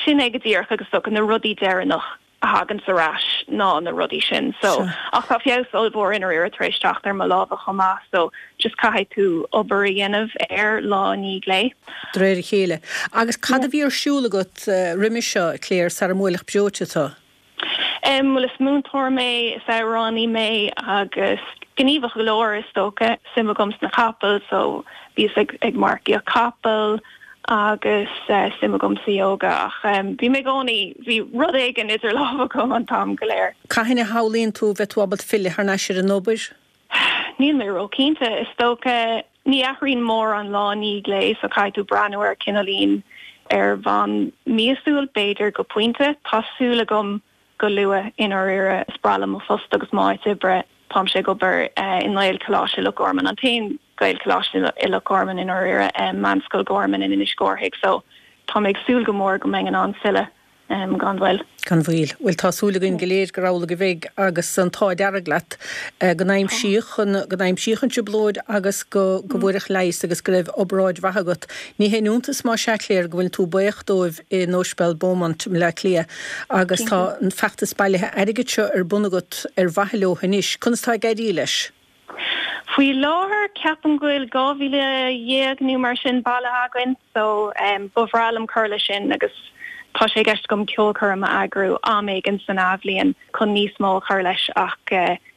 sin é go díreach agus is dócha na rudaí deireanach a thaganns ar ais ná na rudaí sin so ach tá feabhas ollmhór i ndáiríre tar éis teacht ar mo lámha chomh maith so just caithfidh tú obair a dhéanamh air lá i ndiaidh lae. De réir a chéile. Agus cad a bhí ar siúl agat roimhe seo, Claire, sara mbuailfeadh breoite tú? Em, bhuel is múinteoir mé, is amhránaí mé agus gníomhach go leor is dócha. Suim agam sna capaill so bhíos ag ag marcaíocht capall agus suim agam sa yoga ach bhí mé i gcónaí, bhí rud éigin idir lámha agam an t-am go léir. Cathain a shamhlaíonn tú bheith tú ábalta filleadh thar n-ais ar an obair? Níl mé róchinnte. Is dócha, ní athraíonn mórán lá i ndiaidh lae so caithfidh tú breathnú air cineáilín ar bhonn míosúil b'fhéidir go pointe. Tá súil agam go luath i ndáiríre. Is breá liom mo phost agus m'áit oibre. Táimse ag obair i nGaelcholáiste Loch Garman, an t-aon Ghaelcholáiste i Loch Garman i ndáiríre, Meánscoil Gorman in Inis Córthaidh, so tá mé ag súil go mór go mbeinn in ann filleadh gan mhoill. Gan mhoill. Bhuel, tá súil againn go léir gur amhlaidh a bheidh agus an t-ádh dearg leat, go n-aimsíodh an, go n-aimsíodh an trioblóid agus go, go bhfuaireadh leigheas agus go raibh obráid mhaith agat. Ní haon iontas más ea, Clare, go bhfuil tú buíoch dóibh in Ospidéal Beaumont i mBleá Cliath agus tá an feachtas bailithe airgid seo ar bun agat ar mhaithe leo anois. Conas tá ag éirí leis? Faoi láthair ceapaim go bhfuil dhá mhíle dhéag nó mar sin bailithe againn so ba bhreá liom cur leis sin agus tá sé i gceist agam ceolchoirm a eagrú am éigin san athbhliain chun níos mó a chur leis ach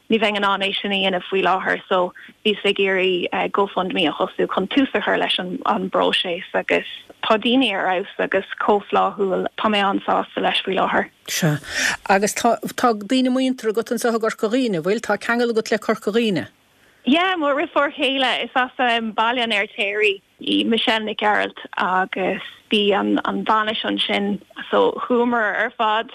ní bheinn in ann é sin a dhéanamh faoi láthair so bhíos ag iarraidh GoFundMe a thosú chun tús a chur leis an an bpróiseas agus tá daoine ar fheabhas agus chomh flaithiúil, tá mé an-sásta leis faoi láthair. Sea. Agus tá tá daoine muinteartha agat anseo i gCorca Dhuibhne, bhfuil? Tá ceangal agat le Corca Dhuibhne? Yeah, mo dheirfiúr chéile, is as Baile an Fheirtéaraigh í Michelle Nic Gearailt agus bhí an an bhainis ansin so chuamar ar fad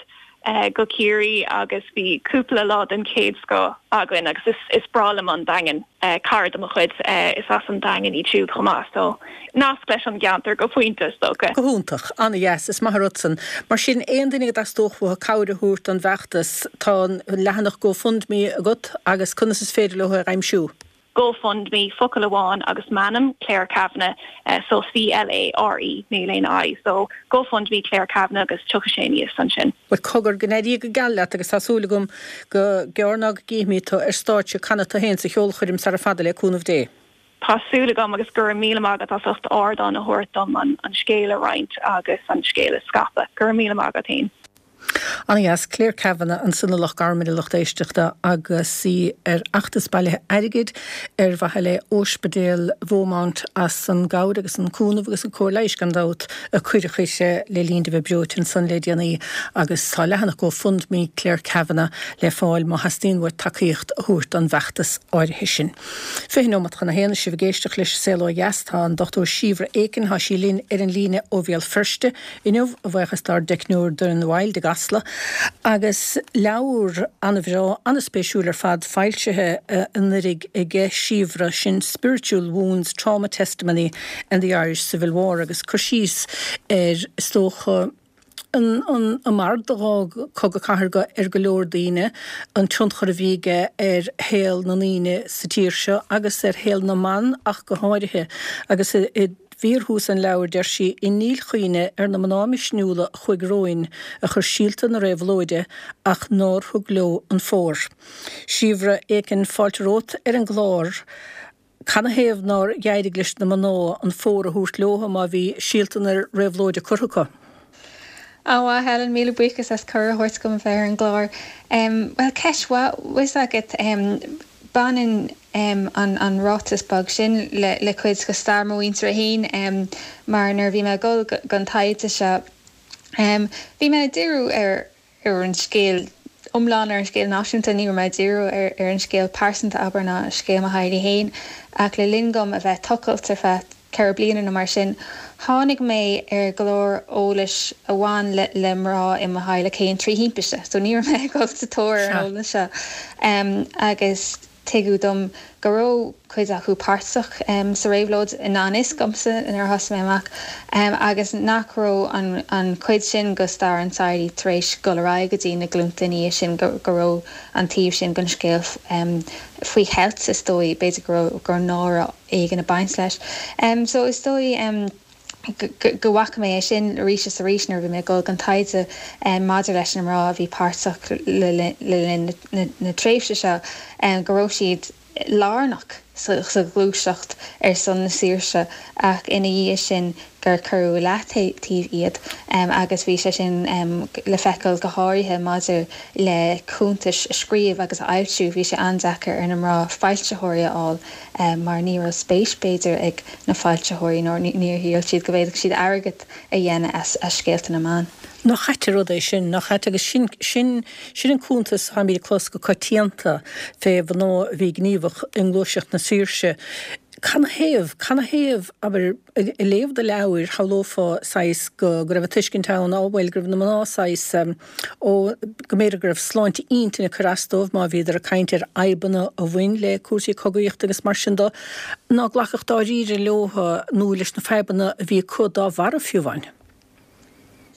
go Ciarraí agus bhí cúpla lá den chéad scoth againn agus is is breá liom an Daingean. Cara de mo chuid is as an Daingean iad siúd chomh maith so nasc leis an gceantar go pointe is dócha. Go hiontach. An-dheas. Is maith an rud san. Mar sin, aon duine go dteastódh uathu cabhair a thabhairt don bhfeachtas, tá an leathanach GoFundMe agat agus conas is féidir leo é a aimsiú? GoFundMe, focal amháin agus m'ainm, Clare Kavanagh, so C-L-A-R-E, níl aon I, so GoFundMe Clare Kavanagh agus tiocfaidh sé aníos ansin. Bhuel, cogar, go n-éirí go geal leat agus tá súil agam gur gearr ná go gcífimid tú ar stáitse ag canadh tú féin sa cheolchoirm sara fada le cúnamh Dé. Tá súil agam agus go raibh míle maith agat as ucht ardán a thabhairt dom an scéal a roinnt agus an scéal a scaipeadh. Go raibh míle maith agat féin. An-dheas. Clare Kavanagh ansan i Loch Garman, a lucht éisteachta, agus í ar fheachtas bailithe airgid ar mhaithe le Ospidéal Beaumont as an gcabhair agus an cúnamh agus an cóir leighis gan dabht a cuireadh chuici le linn di bheith breoite ansan le déanaí agus tá leathanach GoFundMe Clare Kavanagh le fáil má theastaíonn uait tacaíocht a thabhairt don bhfeachtas áirithe sin. Fiche nóimeat chun a haon, sibh ag éisteacht leis Saol Ó Dheas. Tá an Dochtúir Síobhra Aiken, tá sí linn ar an líne ó Bhéal Feirste inniu, a bhuíochas dár dteicneoir Doireann Wild i gCasla, agus leabhar an-bhreá, an-spéisiúil ar fad foilsithe anuraidh aige Síobhra, sin Spiritual Wounds, Trauma Testimony and the Irish Civil War agus cur síos ar, is dócha, an an marc a d'fhág Cogadh Cathartha ar go leor daoine, an tionchar a bhí aige ar shaol na ndaoine sa tír seo agus ar shaol na mban ach go háirithe agus i bhfíorthús an leabhair deir sí, I ndílchuimhne ar na mná misniúla a chuaigh romhainn, a chuir síolta na réabhlóide ach nár thug leo an fómhar. Síobhra Aiken, fáilte romhat ar an gclár. Canathaobh nár éirigh leis na mná an fómhar a thabhairt leo má bhí síolta na réabhlóide curtha acu? An-mhaith, a Helen, míle buíochas as cuireadh a thabhairt dom a bheith ar an gclár. Bhuel, ceist mhaith, bhfuil a fhios agat. Baineann an ráiteas beag sin le cuid de stair mo mhuintire féin mar nuair a bhí mé ag dul don taighde seo bhí mé ag díriú ar ar an scéal iomlán, ar an scéal náisiúnta, ní raibh mé ag díriú ar an scéal pearsanta, abair, ná scéal mo theaghlaigh féin ach le linn dom a bheith ag tochailt ar feadh ceithre bliana nó mar sin, tháinig mé ar go leor eolais a bhain le le mná i mo theaghlach féin trí thimpiste. So ní raibh mé ag dul sa tóir ar an eolas seo. Agus tuigeadh dom go raibh cuid acu páirteach sa réabhlóid i ngan fhios domsa nuair a thosaigh mé amach, agus nach raibh an an chuid sin de stair an teaghlaigh tar éis dul ar aghaidh go dtí na glúnta ina dhiaidh sin, go go raibh an taobh sin den scéal faoi cheilt, is dóigh, b'fhéidir go raibh go raibh náire éigin ag baint leis. So is dóigh go bhfaca mé é sin arís is arís nuair a bhí mé ag dul don taighde maidir leis na mná a bhí páirteach le linn na tréimhse seo, go raibh siad lárnach sa ghluaiseacht ar son na saoirse ach ina dhiaidh sin gur cuireadh i leataobh iad agus bhí sé sin le feiceáil go háirithe maidir le cuntais a scríobh agus a fhoilsiú. Bhí sé an-deacair ar na mná foilsitheoirí a fháil mar ní raibh spéis, b'fhéidir, ag na foilsitheoirí nó níor shíl siad go bhféadfadh siad airgead a dhéanamh as scéalta na mban. Nach ait an rud é sin, nach ait? Agus sin, sin, sin an cuntas atáimid ag clos go coitianta fé mhná a bhí gníomhach i ngluaiseacht na saoirse. Canathaobh, canathaobh, abair, ag léamh do leabhair, shamhlófá saghas go, go raibh an tuiscint ann, á bhuel, go raibh na mná saghas, ó, go mb'fhéidir go raibh sláinte intinne ag cur as dóibh má bhíodar ag caint ar fhadhbanna a bhain le cúrsaí cogaíochta agus mar sin de, ná glacfadh dáiríre leo nó leis na fadhbanna a bhí acu dá bharra fiú amháin.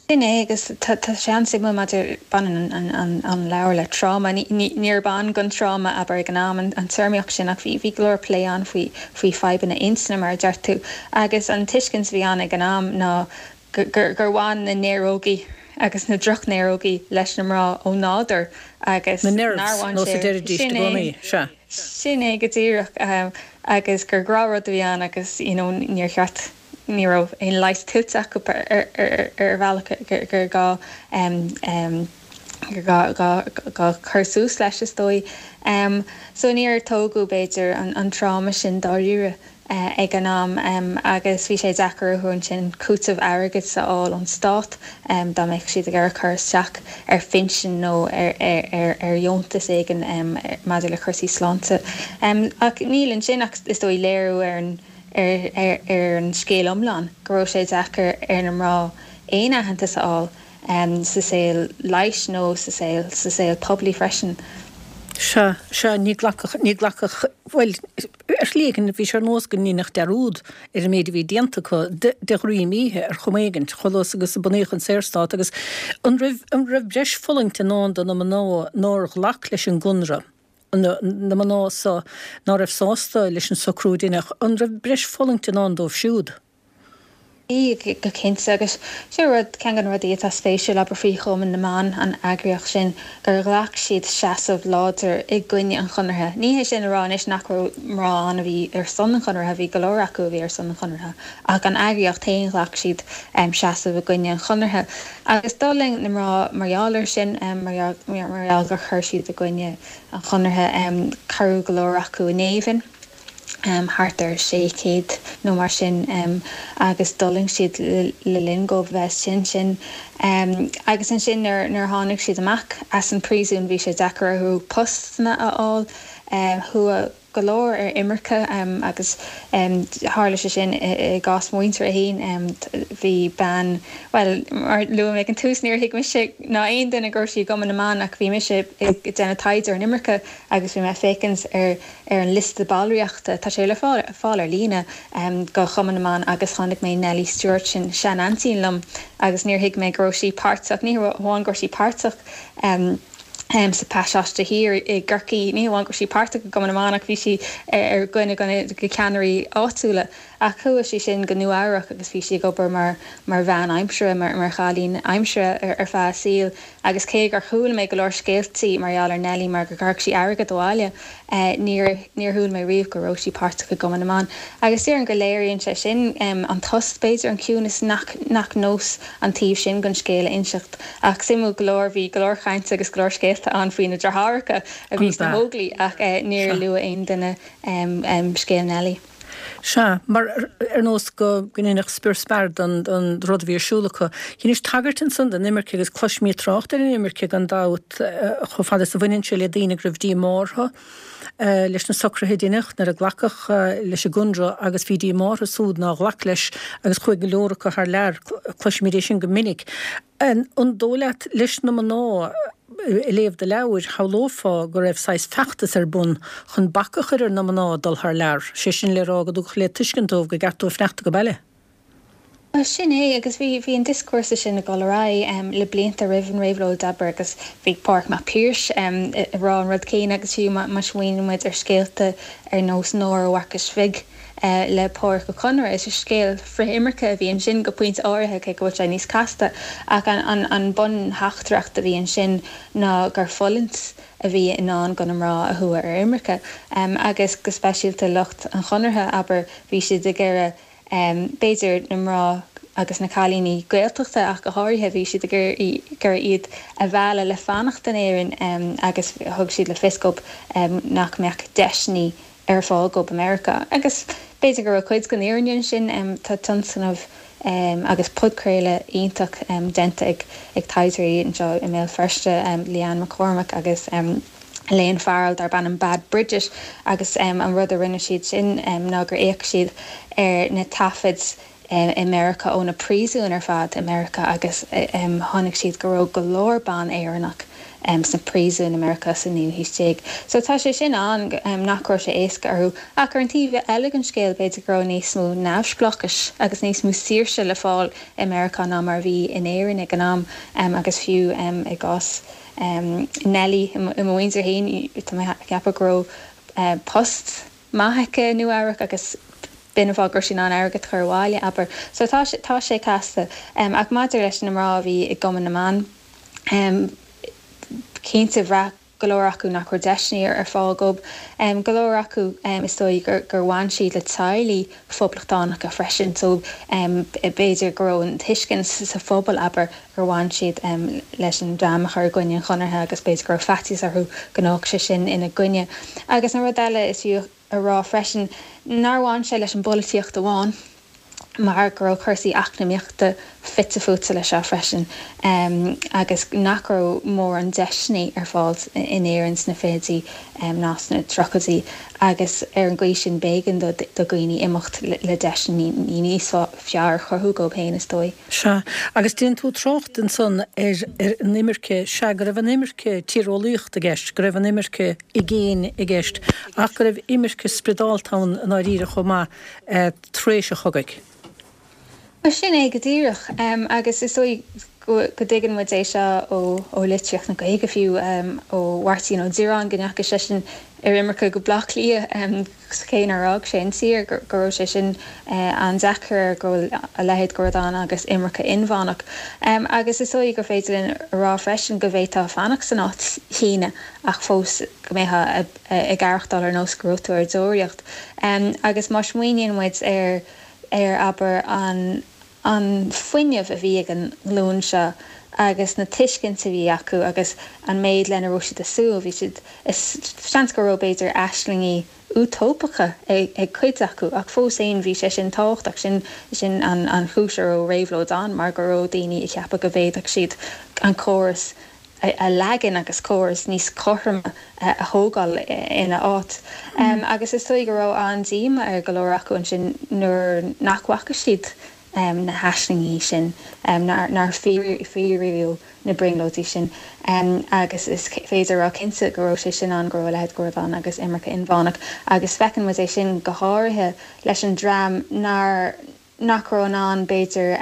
Sin é agus tá sé an-suimiúil maidir baineann an leabhar le tráma. Níor bhain gon tráma abair ag an am an téarmaíocht sin ach bhí bhí go leor plé ann faoi faoi fadhbanna intinne mar a deir tú agus an tuiscint a bhí ann ag an am ná gur gur bhain na néarógaí agus na drochnéarógaí leis na mná ó nádúr agus Na nerves nó sa deireadh i gcónaí, sea. Sin é go díreach agus gur gnáthrud a bhí ann agus you know níor cheart ní raibh aon leigheas tuillte acu ar bhealach gur gá gá cur suas leis is dóigh. So níor tógadh b'fhéidir an tráma sin dáiríre ag an am agus bhí sé deacair orthu ansin cúiteamh airgid a fháil ón stát dá mbeadh siad ag iarraidh cur isteach ar phinsean nó ar ar dheontas éigin maidir le cúrsaí sláinte. Ach níl ansin ach is dóigh léiriú ar an ar an scéal iomlán, go raibh sé deacair ar na mná aon aitheantas a fháil sa saol leighis nó sa saol sa saol poiblí freisin. Sea, sea, ní ghlacfadh, ní ghlacfadh, bhuel, ar shlí éigin bhí sé ar nós go ndéanfadh dearúd ar an méid a bhí déanta acu de, de dhroim oíche ar chuma éigin, chomh luath agus a bunaíodh an Saorstát agus an raibh, an raibh breis fulaingt i ndán do na mná nár ghlac leis an gConradh? na mná so ná raibh sásta leis an socrú a deineadh, an raibh breis fulaingt i ndán dóibh siúd? Bhí, go cinnte, agus seo rud, ceann de na rudaí atá spéisiúil, abair, faoi Chumann na mBan, an eagraíocht sin, gur ghlac siad seasamh láidir i gcoinne an Chonartha. Ní hé sin a rá anois nach raibh mná ann a bhí ar son an Chonartha, bhí go leor acu a bhí ar son an Chonartha, ach an eagraíocht féin, ghlac siad seasamh i gcoinne an Chonartha. Agus d'fhulaing na mná mar gheall air sin, mar gheall gur chuir siad i gcoinne an Chonartha. Cuireadh go leor acu in géibheann, thart ar sé chéad nó mar sin, agus d'fhulaing siad le linn dóibh bheith istigh ansin. Agus ansin nuair a tháinig siad amach as an bpríosún bhí sé deacair orthu postanna a fháil. Chuaigh go leor ar imirce agus tharla sé sin i gcás mo mhuintire féin. Bhí bean, bhuel, mar a luaigh mé ag an tús, níor thuig mise ná aon duine go raibh sí i gCumann na mBan ach bhí mise ag déanamh taighde ar an imirce agus bhí mé ag féachaint ar ar an liosta ballraíochta, tá sé le fáil ar líne, go Chumann na mBan agus chonaic mé Nellie Stewart, sin sean-aintín liom agus níor thuig mé go raibh sí páirteach, ní hamháin go raibh sí páirteach, sa Phasáiste Thiar i gCorcaigh. Ní hamháin go raibh sí páirteach i gCumann na mBan ach bhí sí ar dhuine de na ceannairí áitiúla. Ach chuaigh sí sin go Nua Eabhrac agus bhí sí ag obair mar mar bhean aimsire, mar mar chailín aimsire ar feadh a saoil. Agus cé gur chuala mé go leor scéaltaí mar gheall ar Nellie mar go gcuirfeadh sí airgead abhaile, níor níor chuala mé riamh go raibh sí páirteach i gCumann na mBan. Agus déarfainn go léiríonn sé sin an tost, b'fhéidir, an ciúnas nach nach nós an taobh sin den scéal a inseacht. Ach suimiúil go leor, bhí go leor cainte agus go leor scéalta ann faoi na deartháireacha a bhí sna hÓglaigh ach níor luadh aon duine scéal Nellie. Sea, mar ar nós go ndéanfadh spior spear den rud a bhí ar siúl acu. Dheinis tagairt ansan don imirce agus cloisimid trácht ar an imirce gan dabht chomh fada is a bhaineann sé le daoine go raibh díomá orthu leis na socruithe a deineadh nuair a glacadh leis an gConradh agus bhí díomá orthu súd nár ghlac leis agus chuaigh go leor acu thar lear. Cloisimid é sin go minic. An dóigh leat leis na mná ag léamh do leabhair, shamhlófá go raibh saghas feachtas ar bun chun bac a chur ar na mná dul thar lear, sé sin le rá go dtugadh le tuiscint dóibh gur ceart dóibh fanacht ag baile? Bhuel, sin é, agus bhí bhí an dioscúrsa sin ag dul ar aghaidh le blianta roimh an réabhlóid, abair, agus bhí Pádraig Mac Piarais ag rá an rud céanna agus fiú má smaoiníonn muid ar scéalta ar nós Nóra Mharcais Bhig le Pádraic Ó Conaire, is scéal frith-imirce a bhí ansin go pointe áirithe, cé go bhfuil sé níos casta, ach an an buntheachtaireacht a bhí ansin ná gur fulaingt a bhí i ndán do na mná a chuaigh ar imirce agus go speisialta lucht an Chonartha, abair, bhí siad ag iarraidh b'fhéidir na mná agus na cailíní Gaeltachta ach go háirithe, bhí siad ag iarraidh iad a mhealladh le fanacht in Éirinn agus thug siad le fios dóibh nach mbeadh deiseanna ar fáil dóibh i Meiriceá. Agus b'fhéidir go raibh cuid den fhírinne ansin, tá tionscnamh agus podchraoladh iontach déanta ag taighdeoirí anseo i mBéal Feirste, Leanne McCormack agus. Elaine Farrell darb ainm Bad Bridget agus an rud a rinne siad sin ná gur fhéach siad ar na taifid i Meiriceá ó na príosúin ar fad i Meiriceá agus tháinig siad go raibh go leor ban Éireannach sna príosúin i Meiriceá sa naoú haois déag. So tá sé sin ann nach raibh sé éasca orthu. Ach ar an taobh eile den scéal b'fhéidir go raibh níos mó neamhspleáchais agus níos mó saoirse le fáil i Meiriceá ná mar a bhí in Éirinn ag an am agus fiú i gcás Nellie i mo mhuintir féin tá mé ag ceapadh go raibh post maith aici i Nua-Eabhrac agus b'in an fáth go raibh sí in ann airgead a chur abhaile, abair. So tá sé, tá sé casta. Ach maidir leis na mná a bhí i gCumann na mBan, cinnte bhraith go leor acu nach raibh deiseanna ar fáil dóibh. Go leor acu is dóigh gur, gur bhain siad le teaghlaigh phoblachtánacha freisin so b'fhéidir go raibh an tuiscint sa phobal, abair, gur bhain siad leis an dream a chur i gcoinne an Chonartha agus b'fhéidir go raibh faitíos orthu go ngabhfadh sé sin ina gcoinne. Agus an rud eile is fiú a rá freisin nár bhain sé leis an bpolaitíocht amháin mar go raibh cúrsaí eacnamaíochta fite fuaite leis seo freisin agus nach raibh mórán deiseanna ar fáil in Éirinn sna fichidí ná sna tríochaidí agus ar an gcaoi sin b'éigean do dhaoine imeacht le deiseanna níos fearr a chruthú dóibh féin is dóigh. Sea, agus déanann tú trácht ansan ar an imirce, sea, go raibh an imirce tíreolaíochta i gceist, go raibh an imirce i gcéin i gceist, ach go raibh imirce spioradálta ann i ndáiríre chomh maith tar éis an chogaidh. Bhuel, sin é go díreach, agus is dóigh go dtuigeann muid é seo ó litríocht na Gaeilge fiú, ó Mháirtín Ó Direáin, go ndeachaigh seisean ar imirce go Baile Átha Cliath, cé nár fhág sé an tír, go raibh sé sin an-deacair air, go bhfuil a leithéid de rud ann agus imirce inmheánach. Agus is dóigh gur féidir linn a rá freisin go bhféadfá fanacht san áit chéanna ach fós go mbeifeá ag aireachtáil ar nós go raibh tú ar deoraíocht. Agus má smaoiníonn muid ar ar, abair, an an fuinneamh a bhí ag an nglúin seo agus na tuiscint a bhí acu agus an méid lena raibh siad ag súil, bhí siad, is seans go raibh b'fhéidir aislingí útóipeacha ag cuid acu ach fós féin bhí sé sin tábhachtach, sin sin an an chúis a raibh réabhlóid ann mar go raibh daoine ag ceapadh go bhféadfadh siad an córas a leagan agus córas níos cothroime a thógáil ina áit. Agus is dóigh go raibh an-díomá ar go leor acu ansin nuair nach bhfaca siad na haislingí sin, nár fíoraíodh na brionglóidí sin. Agus is féidir a rá cinnte go raibh sé sin ann, go raibh a leithéid de rud ann agus imirce inmheánach. Agus feiceann muid é sin go háirithe leis an dream nár nach raibh in ann, b'fhéidir,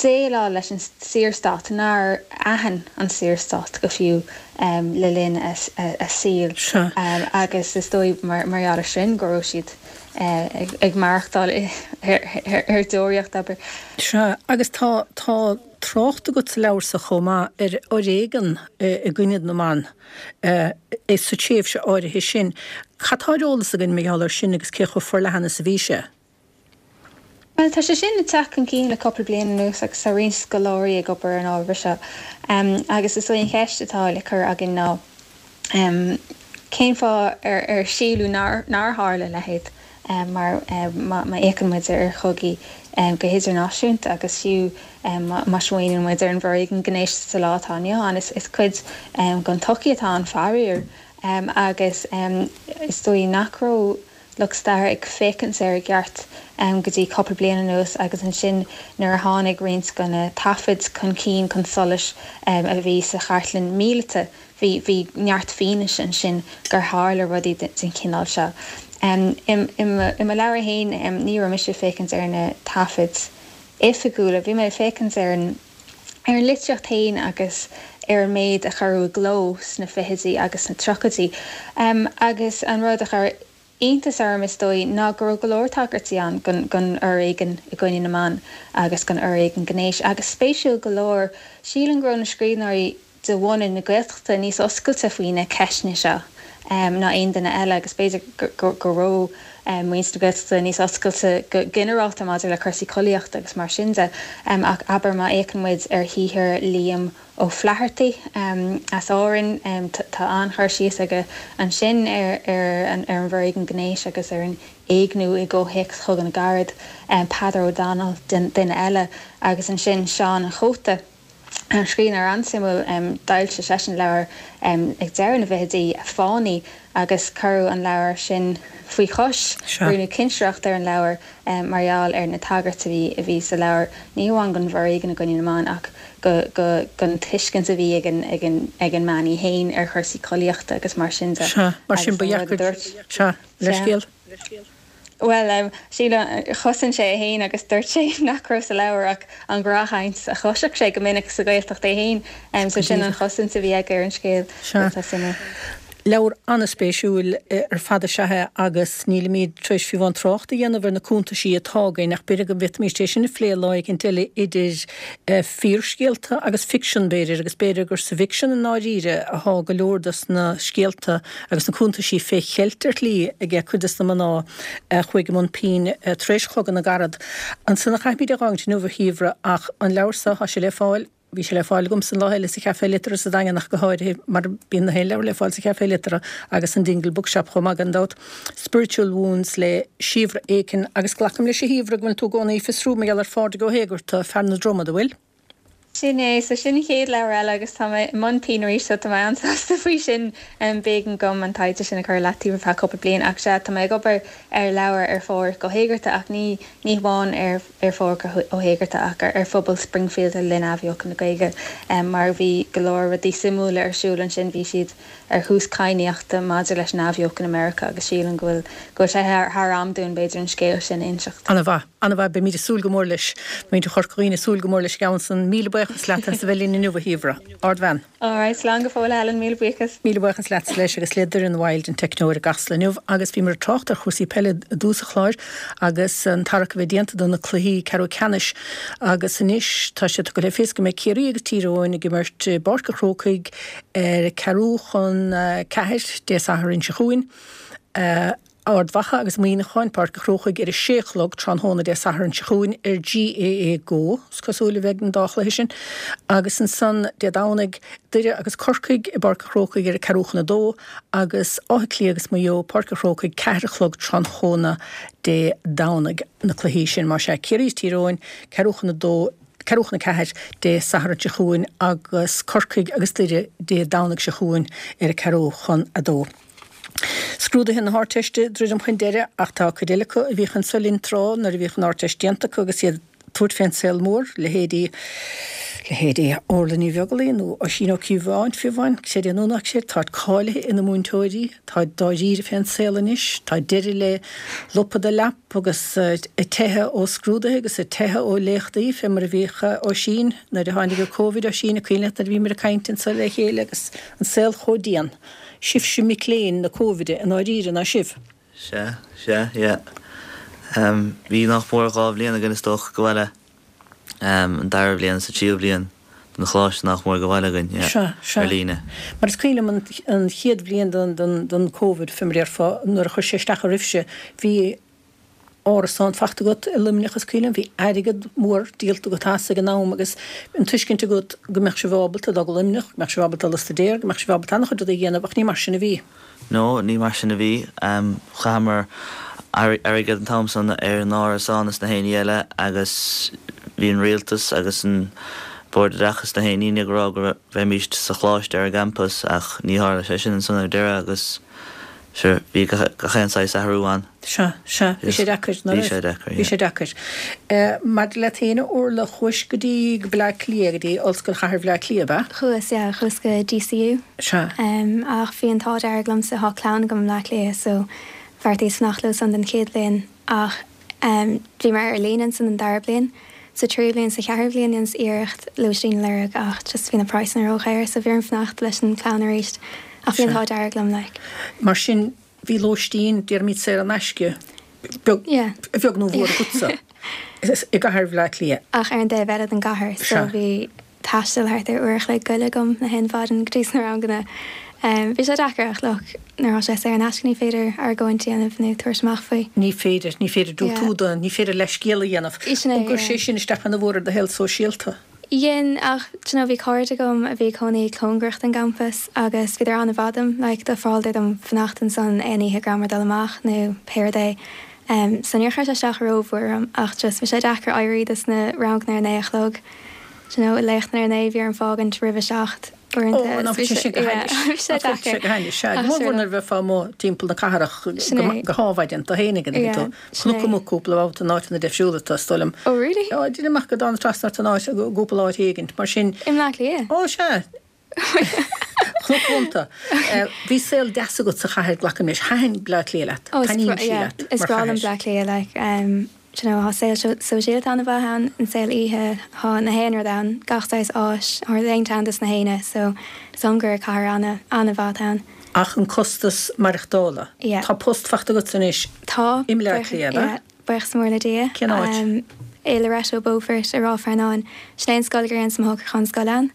déileáil leis an Saorstát, nár aithin an Saorstát go fiú le linn a saoil agus is dóigh mar gheall air sin go raibh siad ag maireachtáil ar deoraíocht, abair. Sea, agus tá tá trácht agat sa leabhar so chomh maith ar fhoréigean i gcoinne na mban sa tréimhse áirithe sin. Cad tá ar eolas againn mar gheall air sin agus cé chomh forleathan is a bhí sé? Bhuel, tá sé sin ag teacht chun cinn le cúpla bliain anuas agus tá roinnt scoláirí ag obair ar an ábhar seo. Agus is í an cheist atá le cur againn ná cén fáth ar ar síleadh nár nár tharla a leithéid mar má fhéachann muid ar chogaí go hidirnáisiúnta agus fiú má smaoiníonn muid ar an bhforéigean gnéis sa lá atá inniu ann, is is cuid den tsochaí atá ann faraor agus is dóigh nach raibh lucht staire ag féachaint air i gceart go dtí cúpla bliain anuas agus ansin nuair a tháinig roinnt de na taifid chun cinn chun solais a bhí sa chartlann míleata bhí bhí neart fianaise ansin gur tharla rudaí den chineál seo. I mo leabhar féin ní raibh mise ag féachaint ar na taifid oifigiúla, bhí mé ag féachaint ar an ar an litríocht féin agus ar an méid a cuireadh i gcló sna fichidí agus sna tríochaidí agus an rud a chuir iontas orm, is dóigh, ná go raibh go leor tagairtí ann don fhoréigean i gcoinne na mban agus don fhoréigean gnéis. Agus spéisiúil go leor, sílim go raibh na scríbhneoirí de bhunadh na Gaeltachta níos oscailte faoi na ceisteanna seo ná aon duine eile agus b'fhéidir go raibh muintir na Gaeltachta níos oscailte go ginearálta maidir le cúrsaí collaíochta agus mar sin de. Ach abair má fhéachann muid ar shaothar Liam Ó Flaithearta as Árainn, tá an-chur síos aige ansin ar an bhforéigean gnéis agus ar an éigniú i gcomhthéacs Chogadh na gCarad, Peadar O'Donnell, duine eile, agus ansin Seán an Chóta. Scríbhneoir an-suimiúil, d'fhoilsigh seisean leabhar ag deireadh na bhfichidí, Fánaí, agus cuireadh an leabhar sin faoi chois. Rinneadh cinsireacht ar an leabhar mar gheall ar na tagairtí a bhí sa leabhar, ní hamháin don bhforéigean i gcoinne na mban ach don tuiscint a bhí ag an mbean í féin ar chúrsaí collaíochta agus mar sin de. Sea, mar sin ba dheacair. Sea, leithscéal. Bhuel, sílim, chosain sé é féin agus dúirt sé nach raibh sa leabhar ach an ghnáthchaint a chloisfeadh sé go minic sa Ghaeltacht é féin. So sin an chosaint a bhí aige ar an scéal. Sea. Leabhar an-spéisiúil ar fad is ea é agus nílimid tar éis fiú amháin trácht a dhéanamh ar na cuntaisí atá againn ach b'fhéidir go bhféadfaimis é sin a phlé lá éicint eile idir fíorscéalta agus ficsean b'fhéidir agus b'fhéidir gur sa bhficsean i ndáiríre athá go leor dos na scéalta agus na cuntaisí fé cheilt ar shlí aige cuid dos na mná a chuaigh i mbun pinn tar éis Chogadh na gCarad. Ansan a chaithfimid é dh'fhágaint inniu a Shíobhra ach an leabhar so thá sé le fáil Bhí sé le fáil agamsa an lá eile sa Chafé Liteartha sa Daingean ach go háirithe mar bíonn na haon leabhar le fáil sa Chafé Liteartha agus an Dingle Bookshop chomh maith gan dabht. Spiritual Wounds le Síobhra Aiken agus glacaim leis a Shíobhra go bhfuil tú i gcónaí ag fiosrú mar gheall ar Phádraig Ó hÉigeartaigh, fear na Dromad, an bhfuil? Sin é, so sin an chéad leabhar eile agus tá mé i mbun pinn arís so tá mé an-sásta faoi sin. B'éigean dom an taighde sin a chur i leataobh ar feadh cúpla bliain ach sea, tá mé ag obair ar leabhar ar Phádraig Ó hÉigeartaigh ach ní ní hamháin ar ar Phádraig Ó hÉigeartaigh ach ar phobal Springfield le linn Athbheochan na Gaeilge mar bhí go leor rudaí suimiúla ar siúl ansin. Bhí siad ar thús cadhnaíochta maidir leis an Athbheochan i Meiriceá agus sílim go bhfuil go bhfuil sé thar am dúinn b'fhéidir an scéal sin a inseacht. Ana-mhaith. Ana-mhaith. Beimid ag súil go mór leis. Muintir Chorca Dhuibhne ag súil go mór leis an gceann san. Míle buíochas leat as a bheith linn inniu, a Shíobhra. Ardbhean. Alright, slán go fóill a Helen, míle buíochas. Míle buíochas leatsa leis agus le Doireann Wilde, an teicneoir i gCasla inniu agus bhíomar ag trácht ar chúrsaí peile i dtús an chláir agus an tarrac a bheith déanta do na cluichí ceathrú ceannais agus anois tá sé tugtha le fios go mbeidh Ciarraí agus Tír Eoghain ag imirt i bPáirc an Chrócaigh ar ceathrú chun ceathair Dé Sathairn seo chugainn. Ard Mhacha agus Muineachán, Páirc an Chrócaigh ar a sé a chlog tráthnóna Dé Sathairn seo chugainn ar GAA Go, is cosúil a bheidh an dá chluiche sin, agus ansan Dé Domhnaigh, Doire agus Corcaigh i bPáirc an Chrócaigh ar a ceathrú chun a dó agus Áth Cliath agus Maigh Eo, Páirc an Chrócaigh, ceathair a chlog tráthnóna Dé Domhnaigh na cluichí sin. Más ea, Ciarraí is Tír Eoghain, ceathrú chun a dó, ceathrú chun a ceathair Dé Sathairn seo chugainn agus Corcaigh agus Doire Dé Domhnaigh seo chugainn ar a ceathrú chun a dó. Scrúduithe na hArdteiste ag druidim chun deireadh ach tá cuid eile acu a bhíodh anso linn tráth nuair a bhíodh an Ardteist déanta acu agus iad ag tabhairt fén saol mór, leithéidí, leithéidí Orla Ní Bheaglaoí nó Oisín Ó Cíobháin, fiú amháin, creid é nó ná creid, táid cáilithe ina múinteoirí, táid dáiríre fén saol anois, tá deireadh le lupadh do leap agus ag teitheadh ó scrúduithe agus ag teitheadh ó léachtaí fé mar a bhíodh Oisín nuair a tháinig an Covid, Oisín, an cuimhin leat nuair a bhíomar ag caint anso le chéile agus an saol chomh dian. Sibhse mic léinn na Cóivide i ndáiríre, ná sibh? Sea, sea, yeah. Bhí nach mór dhá bhliain againn is dócha go bhaile, an dara bliain is an tríú bliain den choláiste nach mór go bhaile againn, yeah, Sea, sea. ar líne. Mar is cuimhin liom an, an chéad bhliain den, den, den Covid, fé mar a déarfá, nuair a chuir sé isteach oraibhse, bhí, árasán faighte agat i Luimneach is cuimhin liom, bhí airgead mór díolta agat as ag an am agus an tuiscint agat go mbeadh sibh ábalta dul go Luimneach, go mbeadh sibh ábalta dul a staidéar, go mbeadh sibh ábalta an-chuid rudaí a dhéanamh ach ní mar sin a bhí. No, ní mar sin a bhí. Chaitheamar airgead an t-am san ar an árasán is na haon ní eile agus bhí an rialtas agus an Bord Oideachais na haon ní ag rá go mbeimíst sa choláiste ar an gcampas ach ní tharla sé sin ansan ar deireadh agus Sure, bhí gach aon saghas athrú ann. Sea, sea, bhí sé deacair, ná Bhí raibh? sé deacair, Bhí yeah. sé deacair. Maidir leat féin, a Orla, chuais go dtí go Bleá Cliath, go dtí Ollscoil Chathair Bhleá Cliath, ab ea? Chuas, yeah, chuas go DCU. Sea. Ach bhí an t-ádh dearg liomsa, thá clann agam i mBleá Cliath so bheartaíos fanacht leo san don chéad bhliain ach bhí mé ar líne ansan don dara bliain. Sa tríú bliain, sa cheathrú bliain dheineas iarracht lóistín a lorg ach just bhí na praghsanna ródhaor so bhí orm fanacht leis an chlann arís ach bhí an Sea. t-ádh dearg liom like. Mar sin bhí lóistín, déarfaimid saor in aisce, beag, Yeah. a bheag nó a mhór agatsa i gcathair Bhaile Átha Cliath. Ach ar an dtaobh eile den gcathair so Sea. bhí taisteal thart ar uair a chloig goil agam na haon mhaidin go dtí sna ranganna. Bhí sé deacair ach look, nuair atá sé saor in aisce ní féidir argóint a dhéanamh nó tabhairt amach faoi. Ní féidir, ní féidir diúltú do, ní féidir leithscéal a dhéanamh. Sin é, An gcuir sé yeah. sin isteach ana mhór ar do shaol sóisialta? Dhein, ach do you know bhí cairde agam a bhí ag cónaí cóngarach don gcampas agus bhíodar an-mhaith dom, like d'ofráladar dom fanacht ansan aon oíche go rabhamar ag dul amach nó pé rud é. So níor chuir sé isteach rómhór orm ach just bhí sé deacair éirí dos na ranganna ar a naoi a chlog. Do you know, léachtanna ar naoi bhí orm fágaint roimh a seacht uaireanta. Ó, ná bhí sé go hainnis. Bhí sé deacair. Go hainnis, sea. Ach Go mór sure. mhór nuair a bheifeá amuigh timpeall na cathrach Sin é. go hádhmhaidin do fhéinig and Yeah, tú sin cnoc é. amuigh cúpla babhta in áit ina deifriúla is dóigh liom. Oh really? Ó, déanaim amach go dtána trasna ort in áit, i gcúpla áit éigint, mar sin. I mBleá Cliath? Ó, sea. Chnoc Mhonta. Bhí saol deas agat sa chathair, glacaim leis. Thaitin Bleá Cliath leat. Oh, is Taitníonn bra- sí yeah, leat is mar breá liom chathair. Bleá Cliath, like, um, do you know, tá saol sóisialta an-mhaith ann, an saol oíche, tá na haon rud ann, gach saghas áis, or aon ceann dos na héinne, so is dóigh liom gur cathair ana, an-mhaith ann. Ach an costas maireachtála. Yeah. Tá post faighte agat anois Tá. i mBleá Buíoch- Cliath, ab ea? yeah, buíochas mór le Dia. Cén áit? Um, i Loreto Beaufort i Ráth Fearnáin. Sin é an scoil gur dhéanas mo shocrúchán scoile ann,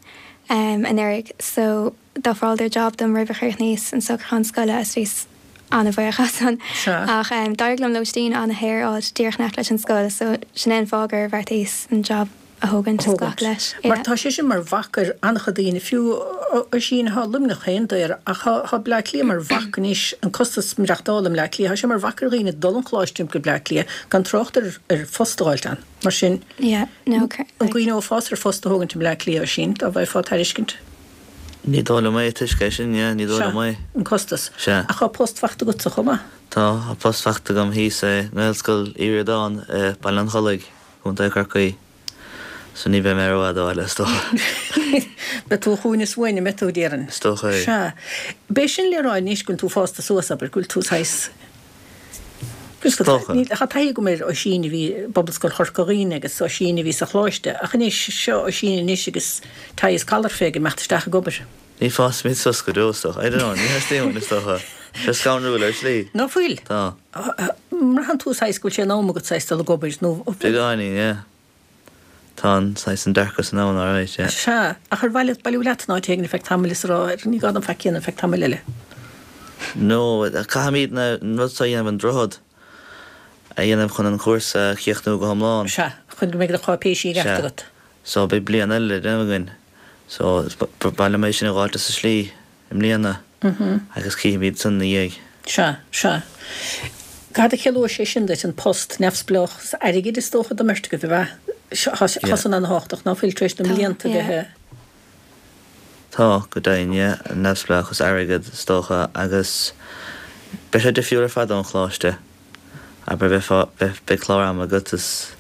um, anuraidh. So d'ofráladar job dom roimh a chríochnaíos an socrúchán scoile is bhíos an-bhuíoch as san. Sea. Ach um, d'éirigh liom lóistín an-shaor a fháil díreach in aice leis an scoil, so sin é an fáth gur bheartaíos an job a thógaint is glacadh leis. Mar Yeah. tá sé sin mar bhac ar an-chuid daoine, fiú Oisín tá Luimneach féin daor, ach tá Bleá Cliath mar bhac anois, an costas maireachtála i mBleá Cliath, tá sé mar bhac ar dhaoine dul 'on choláiste go Bleá Cliath gan trácht ar ar phost a fháilt ann. Mar sin, Yeah, no, an gcuimhneofá ar phost a thógaint i mBleá Cliath, Oisín, dá bhfaighfeá tairiscint? Ní dóigh liom é, toisc é sin, yeah, ní dóigh liom é. An costas. Sea. Ach tá post faighte agatsa chomh maith? Tá, tá post faighte agam thíos i nGaelscoil Uí Ríordáin i Baile an Chollaigh, Contae Chorcaí. So ní bheidh mé rófhada ó bhaile, is dócha. Beidh tú chugainn is uainn, an mbeidh tú, déarfainn. Is dócha é. Sea. B'é sin le rá anois go bhfuil tú fásta suas, abair, go bhfuil tú saghas Is dócha. Tá taithí agam ar Oisín a bhí i bPobalscoil Chorca Dhuibhne agus Oisín a bhí sa choláiste, ach anois seo Oisín anois agus tie is collar fé ag imeacht isteach ag obair. Ní fásfaimid suas go deo, is dócha. I don't know, ní theastaíonn uainn, is dócha. Tá scanrúil ar shlí. Ná fuil? Tá. Mbraitheann tú saghas go bhfuil sé in am agat saghas dul ag obair nó. Beagáinín, yeah. Tá an saghas an dearcadh san ann, alright, yeah. Sea, ach ar mhaith leat bailiú leat in áit éigin ar feadh tamaill is a rá, ní gá dom faic a dhéanamh ar feadh tamaill eile. No, caithfimid na an rud seo a dhéanamh an droichead a dhéanamh chun an cúrsa a chríochnú go hiomlán. Sea, chun go mbeidh do cháipéisí i gceart agat. So beidh bliain eile le déanamh againn. So ba mhaith liom é sin a fháilt as an slí i mbliana agus cífimid san ina dhiaidh. Sea, sea. Cad a chiallóidh sé sin duit, an post neamhspleách airgid is dócha don mbeirt agaibh, ab ea? Tá san an-tábhachtach, ná fuil tar éis na mblianta bheith. Tá, go deimhin, yeah, neamhspleáchas airgid is dócha agus beidh sé difriúil ar fad ón choláiste. Abair bheifeá, beidh, beidh clár ama agat is,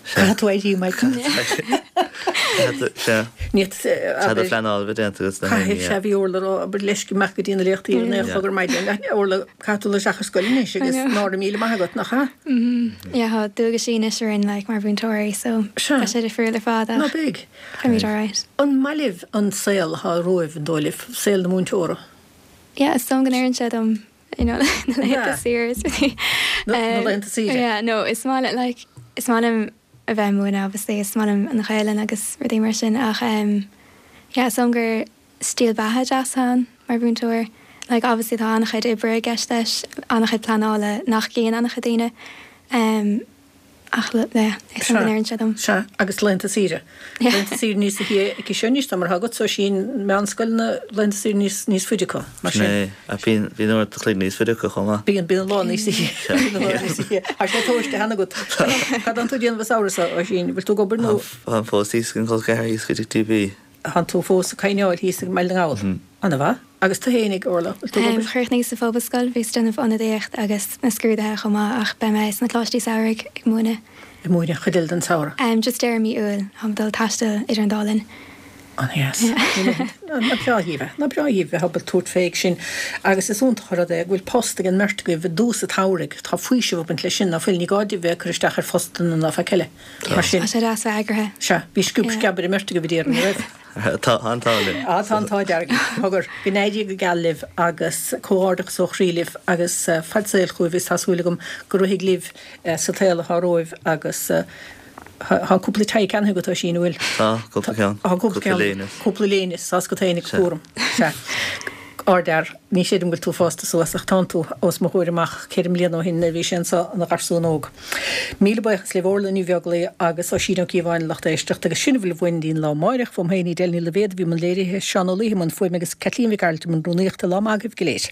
sea. Caithfidh tú éirí, Michael. Caithfidh tú, sea. Ní, Tá do phleanáil a bheith déanta agat sna Caithfidh, haon, sea, yeah. bhí Orla ag rá, abair leis go mbeadh go dtí na léachtaí ar a naoi a chlog ar maidin. Orla, caithfidh tú dul isteach ar scoil anois agus nára míle maith agat, nach ea? Yeah, tá dualgaisí anois orainn, like, mar mhúinteoirí, so Sea. tá sé difriúil ar fad Ná ach beidh. beimid alright. An maith libh an saol atá romhaibh, an dóigh libh, saol na múinteora? Yeah, is dóigh go n-oireann sé dom, you know, na laethanta saoire is rudaí. Na laethanta saoire? Yeah, no, is maith liom, like, is maith liom a bheith ag múineadh, obviously, is maith liom an Ghaelainn agus rudaí mar sin, ach um, yeah, is dóigh gur stíl beatha deas ann mar mhúinteoir. Like, obviously, tá an-chuid oibre i gceist leis, an-chuid pleanála nach gcíonn an-chuid daoine. Um, ach le, le, is dóigh go n-oireann sé dom. Sea, agus laethanta saoire. Laethanta saoire níos sia aici seo anois, tá mar atá agat Oisín meánscoileanna laethanta saoire níos, níos faide acu, mar sin. Sin é, ach bíonn, bíonn uair a chloig níos faide acu chomh maith. Bíonn, bíonn an lá níos sia. Bíonn an lá níos sia. Tá sé tomhaiste cheana agat. Cad atánn tú ag déanamh an samhradh seo, Oisín? Bhfuil tú ag obair nó? Táim fós thíos ag an gcol ceathar thíos go dtí T B. Tánn tú fós ag coinneáil thíos ag mBaile na nGall. Ana-mhaith. Agus tú fhéinig, Orla, bhfuil tú ag obair? Chríochnaíos sa Phobalscoil, bhíos ag déanamh ionadaíocht agus na scrúduithe chomh maith ach beidh mé sna coláistí samhraidh ag múineadh. Ag múineadh chuid eile den samhradh? Just deireadh mí Iúil, táim ag dul taisteal idir an dá linn. An-dheas. Nach breá dhaoibh é, nach breá dhaoibh bheith ábalta tabhairt fé sin. Agus is iontach an rud é go bhfuil post ag an mbeirt agaibh i dtús an tsamhraidh. Tá faoiseamh ag baint leis sin, ná fuil? Ní gá daoibh bheith ag cur isteach ar phostanna ná faic eile. Mar sin. Tá sé deas bheith eagraithe. Sea, bhí sciúb sceab ar an mbeirt agaibh, déarfainn, an raibh? Tá an t-ádh linn. Á, tá an t-ádh dearg. Cogar, go n-éirí go geal libh agus comhghairdeachas ó chroí libh agus fad saoil chugaibh is tá súil agam go rithfidh libh sa tsaol atá romhaibh agus tá cúpla tie ceannaithe agat, Oisín, an bhfuil? Tá, cúpla ceann. Tá cúpla Cúpla ceann. léine. Cúpla léine, tá agat féinig Sea. cúram. Sea. Ardfhear, ní chreidim go bhfuil tú fásta suas ach tánn tú os mo chomhair amach ceithre mbliana ó shin nuair a bhí sé anseo ina gharsún óg. Míle buíochas libh Orla Ní Bheaglaoí agus Oisín Ó Cíobháin lucht éisteachta agus sin a bhfuil uainn dtí'n lá amáireach fóm féin Edel Ní Loibhéad a bhí i mbun léirithe, Seán Ó Laoithe i mbun fuaime agus Caitlín Mhic Gearailt i mbun rúnaíochta. Lá maith agaibh go léir.